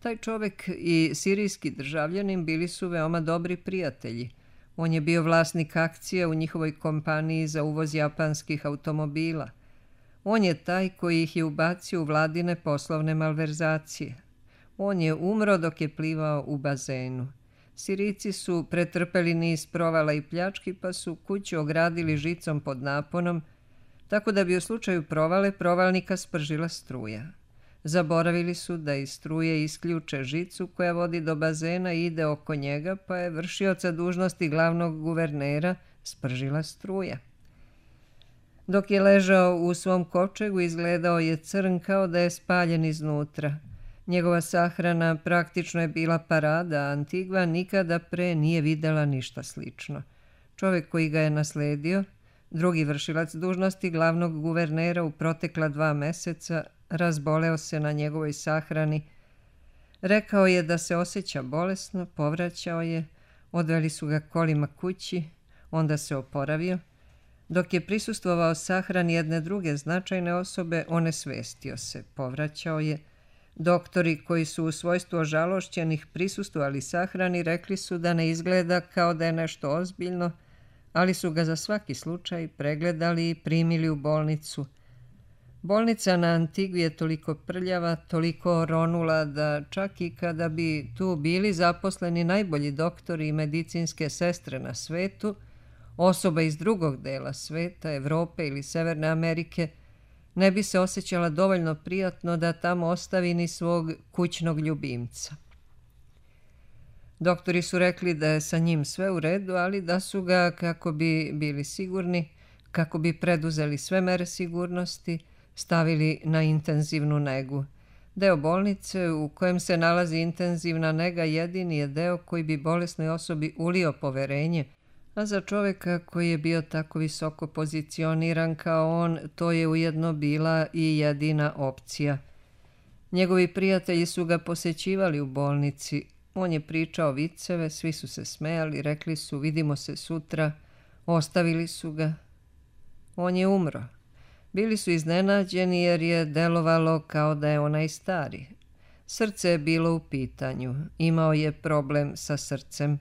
Taj čovek i sirijski državljanin bili su veoma dobri prijatelji. On je bio vlasnik akcija u njihovoj kompaniji za uvoz japanskih automobila. On je taj koji ih je ubacio u vladine poslovne malverzacije. On je umro dok je plivao u bazenu. Sirijci su pretrpeli niz provala i pljački, pa su kuću ogradili žicom pod naponom, tako da bi u slučaju provale provalnika spržila struja. Zaboravili su da iz struje isključe žicu koja vodi do bazena i ide oko njega, pa je vršioca dužnosti glavnog guvernera spržila struja. Dok je ležao u svom kovčegu, izgledao je crn kao da je spaljen iznutra. Njegova sahrana praktično je bila parada, a Antigva nikada pre nije videla ništa slično. Čovjek koji ga je nasledio, drugi vršilac dužnosti glavnog guvernera u protekla dva meseca, razboleo se na njegovoj sahrani. Rekao je da se osjeća bolesno, povraćao je, odveli su ga kolima kući, onda se oporavio. Dok je prisustvovao sahrani jedne druge značajne osobe, onesvestio se, povraćao je. Doktori koji su u svojstvu ožalošćenih prisustvovali sahrani rekli su da ne izgleda kao da je nešto ozbiljno, ali su ga za svaki slučaj pregledali i primili u bolnicu. Bolnica na Antigvi je toliko prljava, toliko oronula da čak i kada bi tu bili zaposleni najbolji doktori i medicinske sestre na svetu, osoba iz drugog dela sveta, Evrope ili Severne Amerike, ne bi se osjećala dovoljno prijatno da tamo ostavi ni svog kućnog ljubimca. Doktori su rekli da je sa njim sve u redu, ali da su ga, kako bi bili sigurni, kako bi preduzeli sve mere sigurnosti, stavili na intenzivnu negu. Deo bolnice u kojem se nalazi intenzivna nega jedini je deo koji bi bolesnoj osobi ulio poverenje, a za čovjeka koji je bio tako visoko pozicioniran kao on, to je ujedno bila i jedina opcija. Njegovi prijatelji su ga posećivali u bolnici. On je pričao viceve, svi su se smejali, rekli su vidimo se sutra, ostavili su ga. On je umro. Bili su iznenađeni jer je delovalo kao da je onaj stari. Srce je bilo u pitanju, imao je problem sa srcem.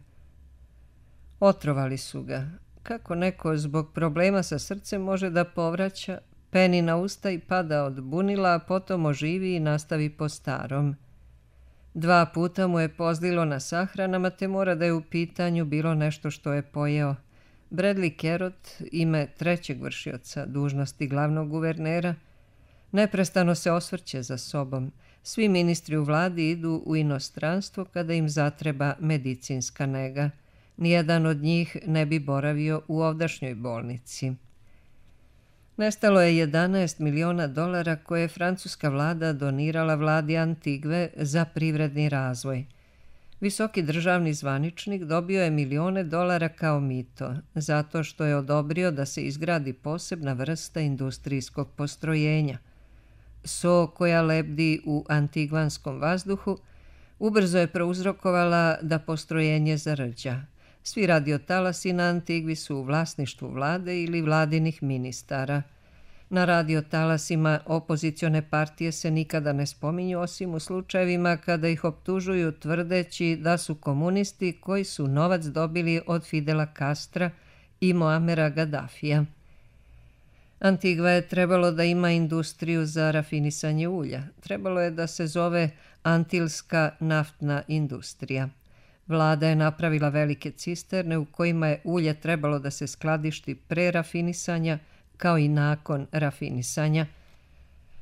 Otrovali su ga. Kako neko zbog problema sa srcem može da povraća, peni na usta i pada od bunila, a potom oživi i nastavi po starom. Dva puta mu je pozlilo na sahranama, te mora da je u pitanju bilo nešto što je pojeo. Bradley Kerot, ime trećeg vršioca dužnosti glavnog guvernera, neprestano se osvrće za sobom. Svi ministri u vladi idu u inostranstvo kada im zatreba medicinska nega. Nijedan od njih ne bi boravio u ovdašnjoj bolnici. Nestalo je jedanaest miliona dolara koje je francuska vlada donirala vladi Antigve za privredni razvoj. Visoki državni zvaničnik dobio je milione dolara kao mito, zato što je odobrio da se izgradi posebna vrsta industrijskog postrojenja. So koja lebdi u antigvanskom vazduhu ubrzo je prouzrokovala da postrojenje zarđa. Svi radiotalasi na Antigvi su u vlasništvu vlade ili vladinih ministara. Na radiotalasima opozicione partije se nikada ne spominju, osim u slučajevima kada ih optužuju tvrdeći da su komunisti koji su novac dobili od Fidela Castra i Moamera Gaddafija. Antigva je trebalo da ima industriju za rafinisanje ulja. Trebalo je da se zove Antilska naftna industrija. Vlada je napravila velike cisterne u kojima je ulje trebalo da se skladišti pre rafinisanja kao i nakon rafinisanja.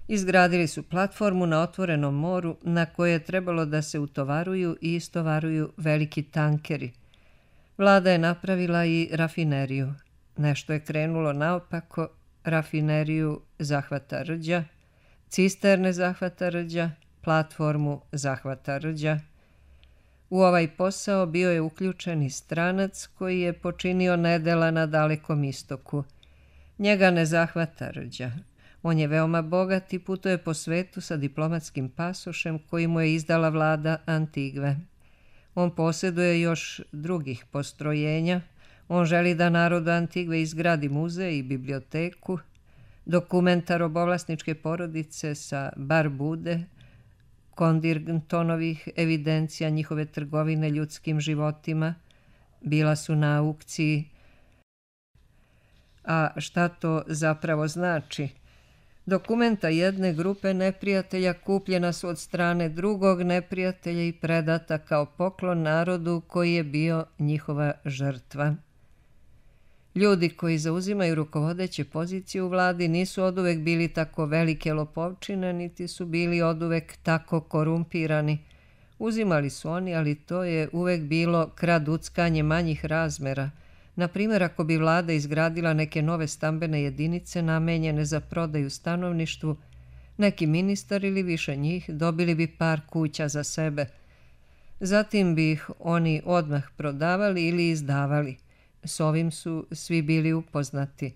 Izgradili su platformu na otvorenom moru na kojoj je trebalo da se utovaruju i istovaruju veliki tankeri. Vlada je napravila i rafineriju. Nešto je krenulo naopako, rafineriju zahvata rđa, cisterne zahvata rđa, platformu zahvata rđa. U ovaj posao bio je uključen i stranac koji je počinio nedela na Dalekom istoku. Njega ne zahvata rđa. On je veoma bogat i putuje po svetu sa diplomatskim pasošem koji mu je izdala vlada Antigve. On posjeduje još drugih postrojenja. On želi da narodu Antigve izgradi muzej i biblioteku, dokumenta robovlasničke porodice sa Barbude, Kondirgtonovih evidencija njihove trgovine ljudskim životima. Bila su na aukciji. A šta to zapravo znači? Dokumenta jedne grupe neprijatelja kupljena su od strane drugog neprijatelja i predata kao poklon narodu koji je bio njihova žrtva. Ljudi koji zauzimaju rukovodeće pozicije u vladi nisu oduvek bili tako velike lopovčine, niti su bili oduvek tako korumpirani. Uzimali su oni, ali to je uvek bilo kraduckanje manjih razmera. Na primjer, ako bi vlada izgradila neke nove stambene jedinice namenjene za prodaju stanovništvu, neki ministar ili više njih dobili bi par kuća za sebe. Zatim bi ih oni odmah prodavali ili izdavali. S ovim su svi bili upoznati.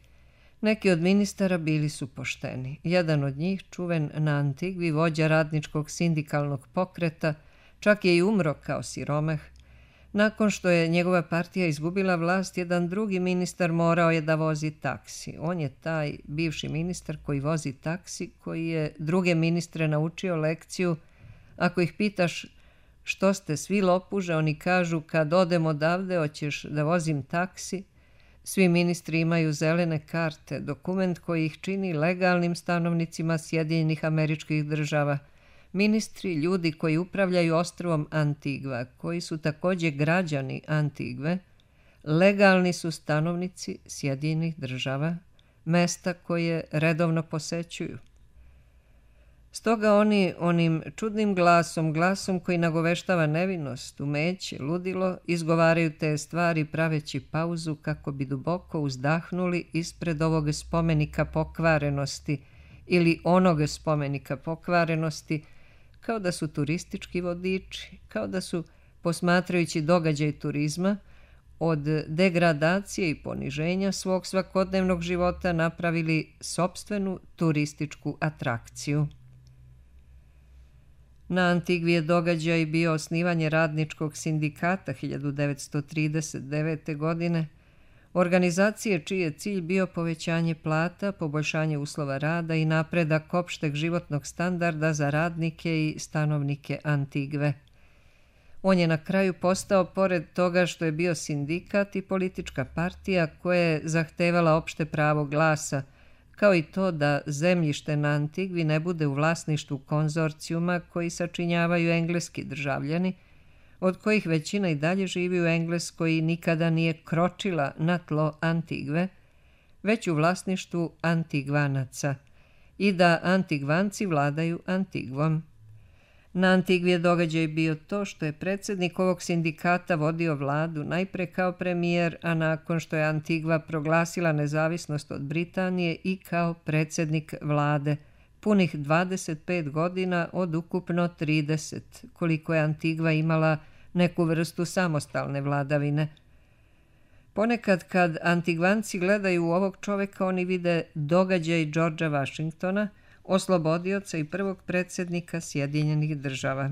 Neki od ministara bili su pošteni. Jedan od njih, čuven na Antigvi, vođa radničkog sindikalnog pokreta, čak je i umro kao siromah. Nakon što je njegova partija izgubila vlast, jedan drugi ministar morao je da vozi taksi. On je taj bivši ministar koji vozi taksi, koji je druge ministre naučio lekciju. Ako ih pitaš što ste svi lopuže, oni kažu kad odem odavde hoćeš da vozim taksi. Svi ministri imaju zelene karte, dokument koji ih čini legalnim stanovnicima Sjedinjenih Američkih Država. Ministri, ljudi koji upravljaju ostrvom Antigva, koji su također građani Antigve, legalni su stanovnici Sjedinjenih Država, mesta koje redovno posećuju. Stoga oni onim čudnim glasom, glasom koji nagoveštava nevinost, umeće, ludilo, izgovaraju te stvari praveći pauzu kako bi duboko uzdahnuli ispred ovog spomenika pokvarenosti ili onog spomenika pokvarenosti, kao da su turistički vodiči, kao da su, posmatrajući događaj turizma, od degradacije i poniženja svog svakodnevnog života napravili sopstvenu turističku atrakciju. Na Antigvi je događaj bio osnivanje radničkog sindikata hiljadu devetsto trideset devete. godine, organizacije čiji je cilj bio povećanje plata, poboljšanje uslova rada i napredak opšteg životnog standarda za radnike i stanovnike Antigve. On je na kraju postao, pored toga što je bio sindikat, i politička partija koja je zahtevala opšte pravo glasa, kao i to da zemljište na Antigvi ne bude u vlasništvu konzorcijuma koji sačinjavaju engleski državljani, od kojih većina i dalje živi u Engleskoj i nikada nije kročila na tlo Antigve, već u vlasništvu Antigvanaca, i da Antigvanci vladaju Antigvom. Na Antigvi je događaj bio to što je predsjednik ovog sindikata vodio vladu najpre kao premijer, a nakon što je Antigva proglasila nezavisnost od Britanije i kao predsjednik vlade, punih dvadeset pet godina od ukupno trideset, koliko je Antigva imala neku vrstu samostalne vladavine. Ponekad kad Antigvanci gledaju u ovog čoveka, oni vide događaj Georgea Washingtona, oslobodioca i prvog predsjednika Sjedinjenih Država,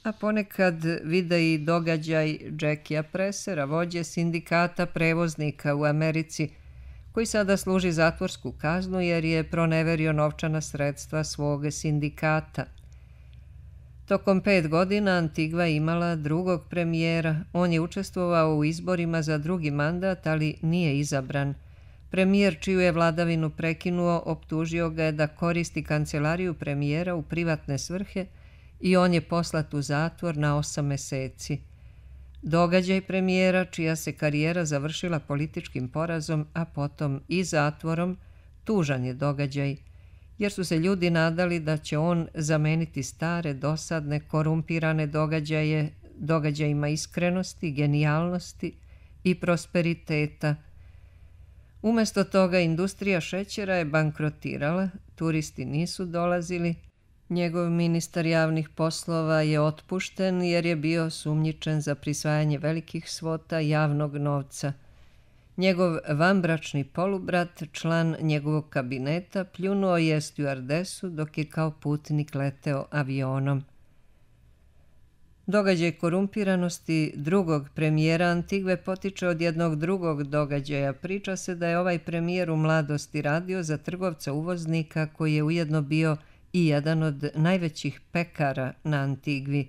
a ponekad vide i događaj Jackia Pressera, vođe sindikata prevoznika u Americi, koji sada služi zatvorsku kaznu jer je proneverio novčana sredstva svog sindikata. Tokom pet godina Antigva imala drugog premijera. On je učestvovao u izborima za drugi mandat, ali nije izabran. Premijer čiju je vladavinu prekinuo optužio ga je da koristi kancelariju premijera u privatne svrhe i on je poslat u zatvor na osam meseci. Događaj premijera, čija se karijera završila političkim porazom, a potom i zatvorom, tužan je događaj, jer su se ljudi nadali da će on zameniti stare, dosadne, korumpirane događaje događajima iskrenosti, genijalnosti i prosperiteta. Umesto toga industrija šećera je bankrotirala, turisti nisu dolazili, njegov ministar javnih poslova je otpušten jer je bio sumnjičen za prisvajanje velikih svota javnog novca. Njegov vanbračni polubrat, član njegovog kabineta, pljunuo je stjuardesu dok je kao putnik leteo avionom. Događaj korumpiranosti drugog premijera Antigve potiče od jednog drugog događaja. Priča se da je ovaj premijer u mladosti radio za trgovca uvoznika koji je ujedno bio i jedan od najvećih pekara na Antigvi.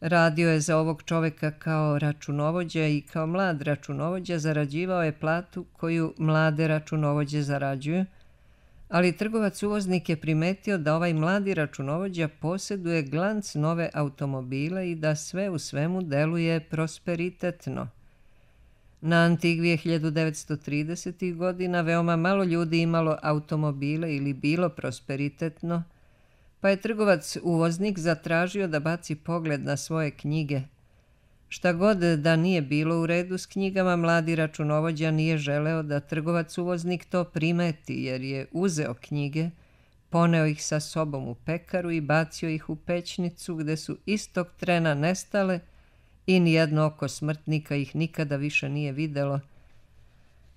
Radio je za ovog čoveka kao računovođa i kao mlad računovođa zarađivao je platu koju mlade računovođe zarađuju, ali trgovac uvoznik je primetio da ovaj mladi računovođa posjeduje glanc nove automobile i da sve u svemu deluje prosperitetno. Na Antigvi je hiljadu devetsto tridesetih godina veoma malo ljudi imalo automobile ili bilo prosperitetno, pa je trgovac uvoznik zatražio da baci pogled na svoje knjige. Šta god da nije bilo u redu s knjigama, mladi računovođa nije želeo da trgovac uvoznik to primeti, jer je uzeo knjige, poneo ih sa sobom u pekaru i bacio ih u pećnicu, gde su istog trena nestale i nijedno oko smrtnika ih nikada više nije videlo.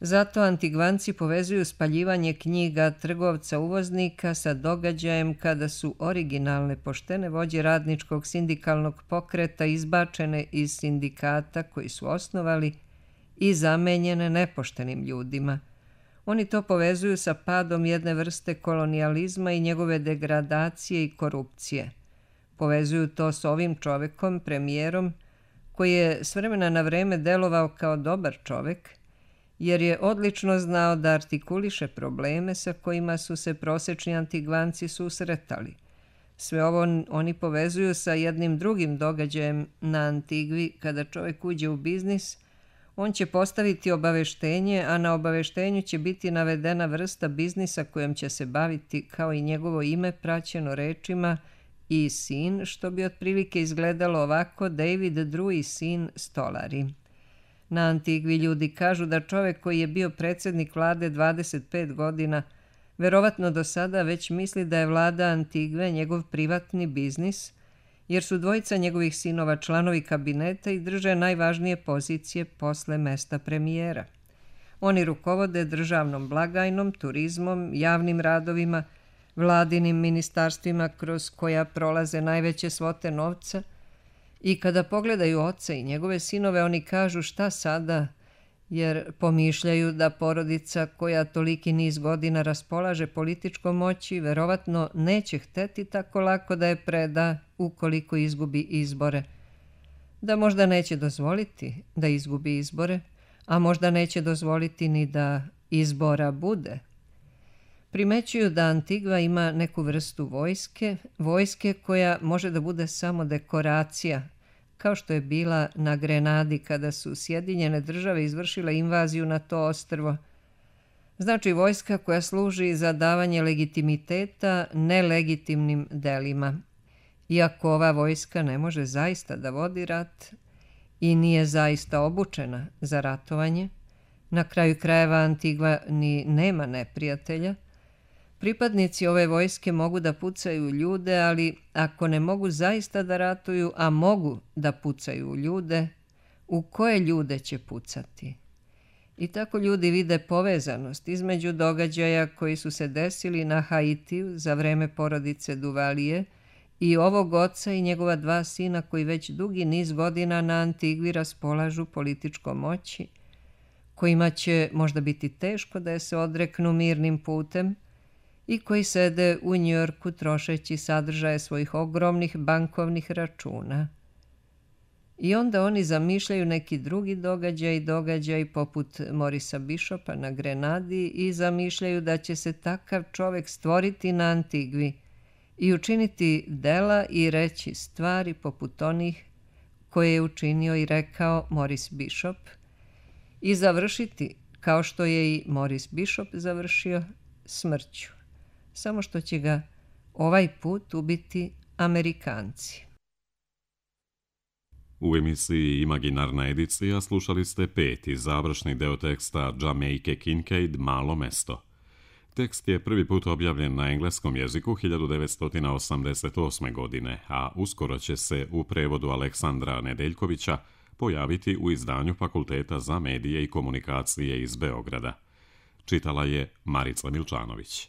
Zato Antigvanci povezuju spaljivanje knjiga trgovca uvoznika sa događajem kada su originalne poštene vođe radničkog sindikalnog pokreta izbačene iz sindikata koji su osnovali i zamenjene nepoštenim ljudima. Oni to povezuju sa padom jedne vrste kolonijalizma i njegove degradacije i korupcije. Povezuju to s ovim čovekom, premijerom, koji je s vremena na vreme delovao kao dobar čovek, jer je odlično znao da artikuliše probleme sa kojima su se prosečni Antigvanci susretali. Sve ovo oni povezuju sa jednim drugim događajem na Antigvi. Kada čovjek uđe u biznis, on će postaviti obaveštenje, a na obaveštenju će biti navedena vrsta biznisa kojom će se baviti, kao i njegovo ime praćeno rečima i sin, što bi otprilike izgledalo ovako: David Drew i sin stolari. Na Antigvi ljudi kažu da čovjek koji je bio predsjednik vlade dvadeset pet godina, verovatno do sada već misli da je vlada Antigve njegov privatni biznis, jer su dvojica njegovih sinova članovi kabineta i drže najvažnije pozicije posle mesta premijera. Oni rukovode državnom blagajnom, turizmom, javnim radovima, vladinim ministarstvima kroz koja prolaze najveće svote novca, i kada pogledaju oca i njegove sinove, oni kažu šta sada, jer pomišljaju da porodica koja toliki niz godina raspolaže političkom moći verovatno neće hteti tako lako da je preda ukoliko izgubi izbore. Da možda neće dozvoliti da izgubi izbore, a možda neće dozvoliti ni da izbora bude. Primećuju da Antigva ima neku vrstu vojske, vojske koja može da bude samo dekoracija, kao što je bila na Grenadi kada su Sjedinjene države izvršile invaziju na to ostrvo. Znači vojska koja služi za davanje legitimiteta nelegitimnim delima. Iako ova vojska ne može zaista da vodi rat i nije zaista obučena za ratovanje, na kraju krajeva Antigva ni nema neprijatelja, pripadnici ove vojske mogu da pucaju ljude, ali ako ne mogu zaista da ratuju, a mogu da pucaju ljude, u koje ljude će pucati? I tako ljudi vide povezanost između događaja koji su se desili na Haitiju za vreme porodice Duvalije i ovog oca i njegova dva sina koji već dugi niz godina na Antigvi raspolažu političkom moći, kojima će možda biti teško da je se odreknu mirnim putem, i koji sede u Njujorku trošeći sadržaje svojih ogromnih bankovnih računa. I onda oni zamišljaju neki drugi događaj, događaj poput Morisa Bishopa na Grenadi i zamišljaju da će se takav čovek stvoriti na Antigvi i učiniti dela i reći stvari poput onih koje je učinio i rekao Moris Bishop i završiti, kao što je i Moris Bishop završio, smrću. Samo što će ga ovaj put ubiti Amerikanci. U emisiji Imaginarna edicija slušali ste peti završni deo teksta Jamaica Kincaid Malo mesto. Tekst je prvi put objavljen na engleskom jeziku hiljadu devetsto osamdeset osme. godine, a uskoro će se u prevodu Aleksandra Nedeljkovića pojaviti u izdanju Fakulteta za medije i komunikacije iz Beograda. Čitala je Marica Milčanović.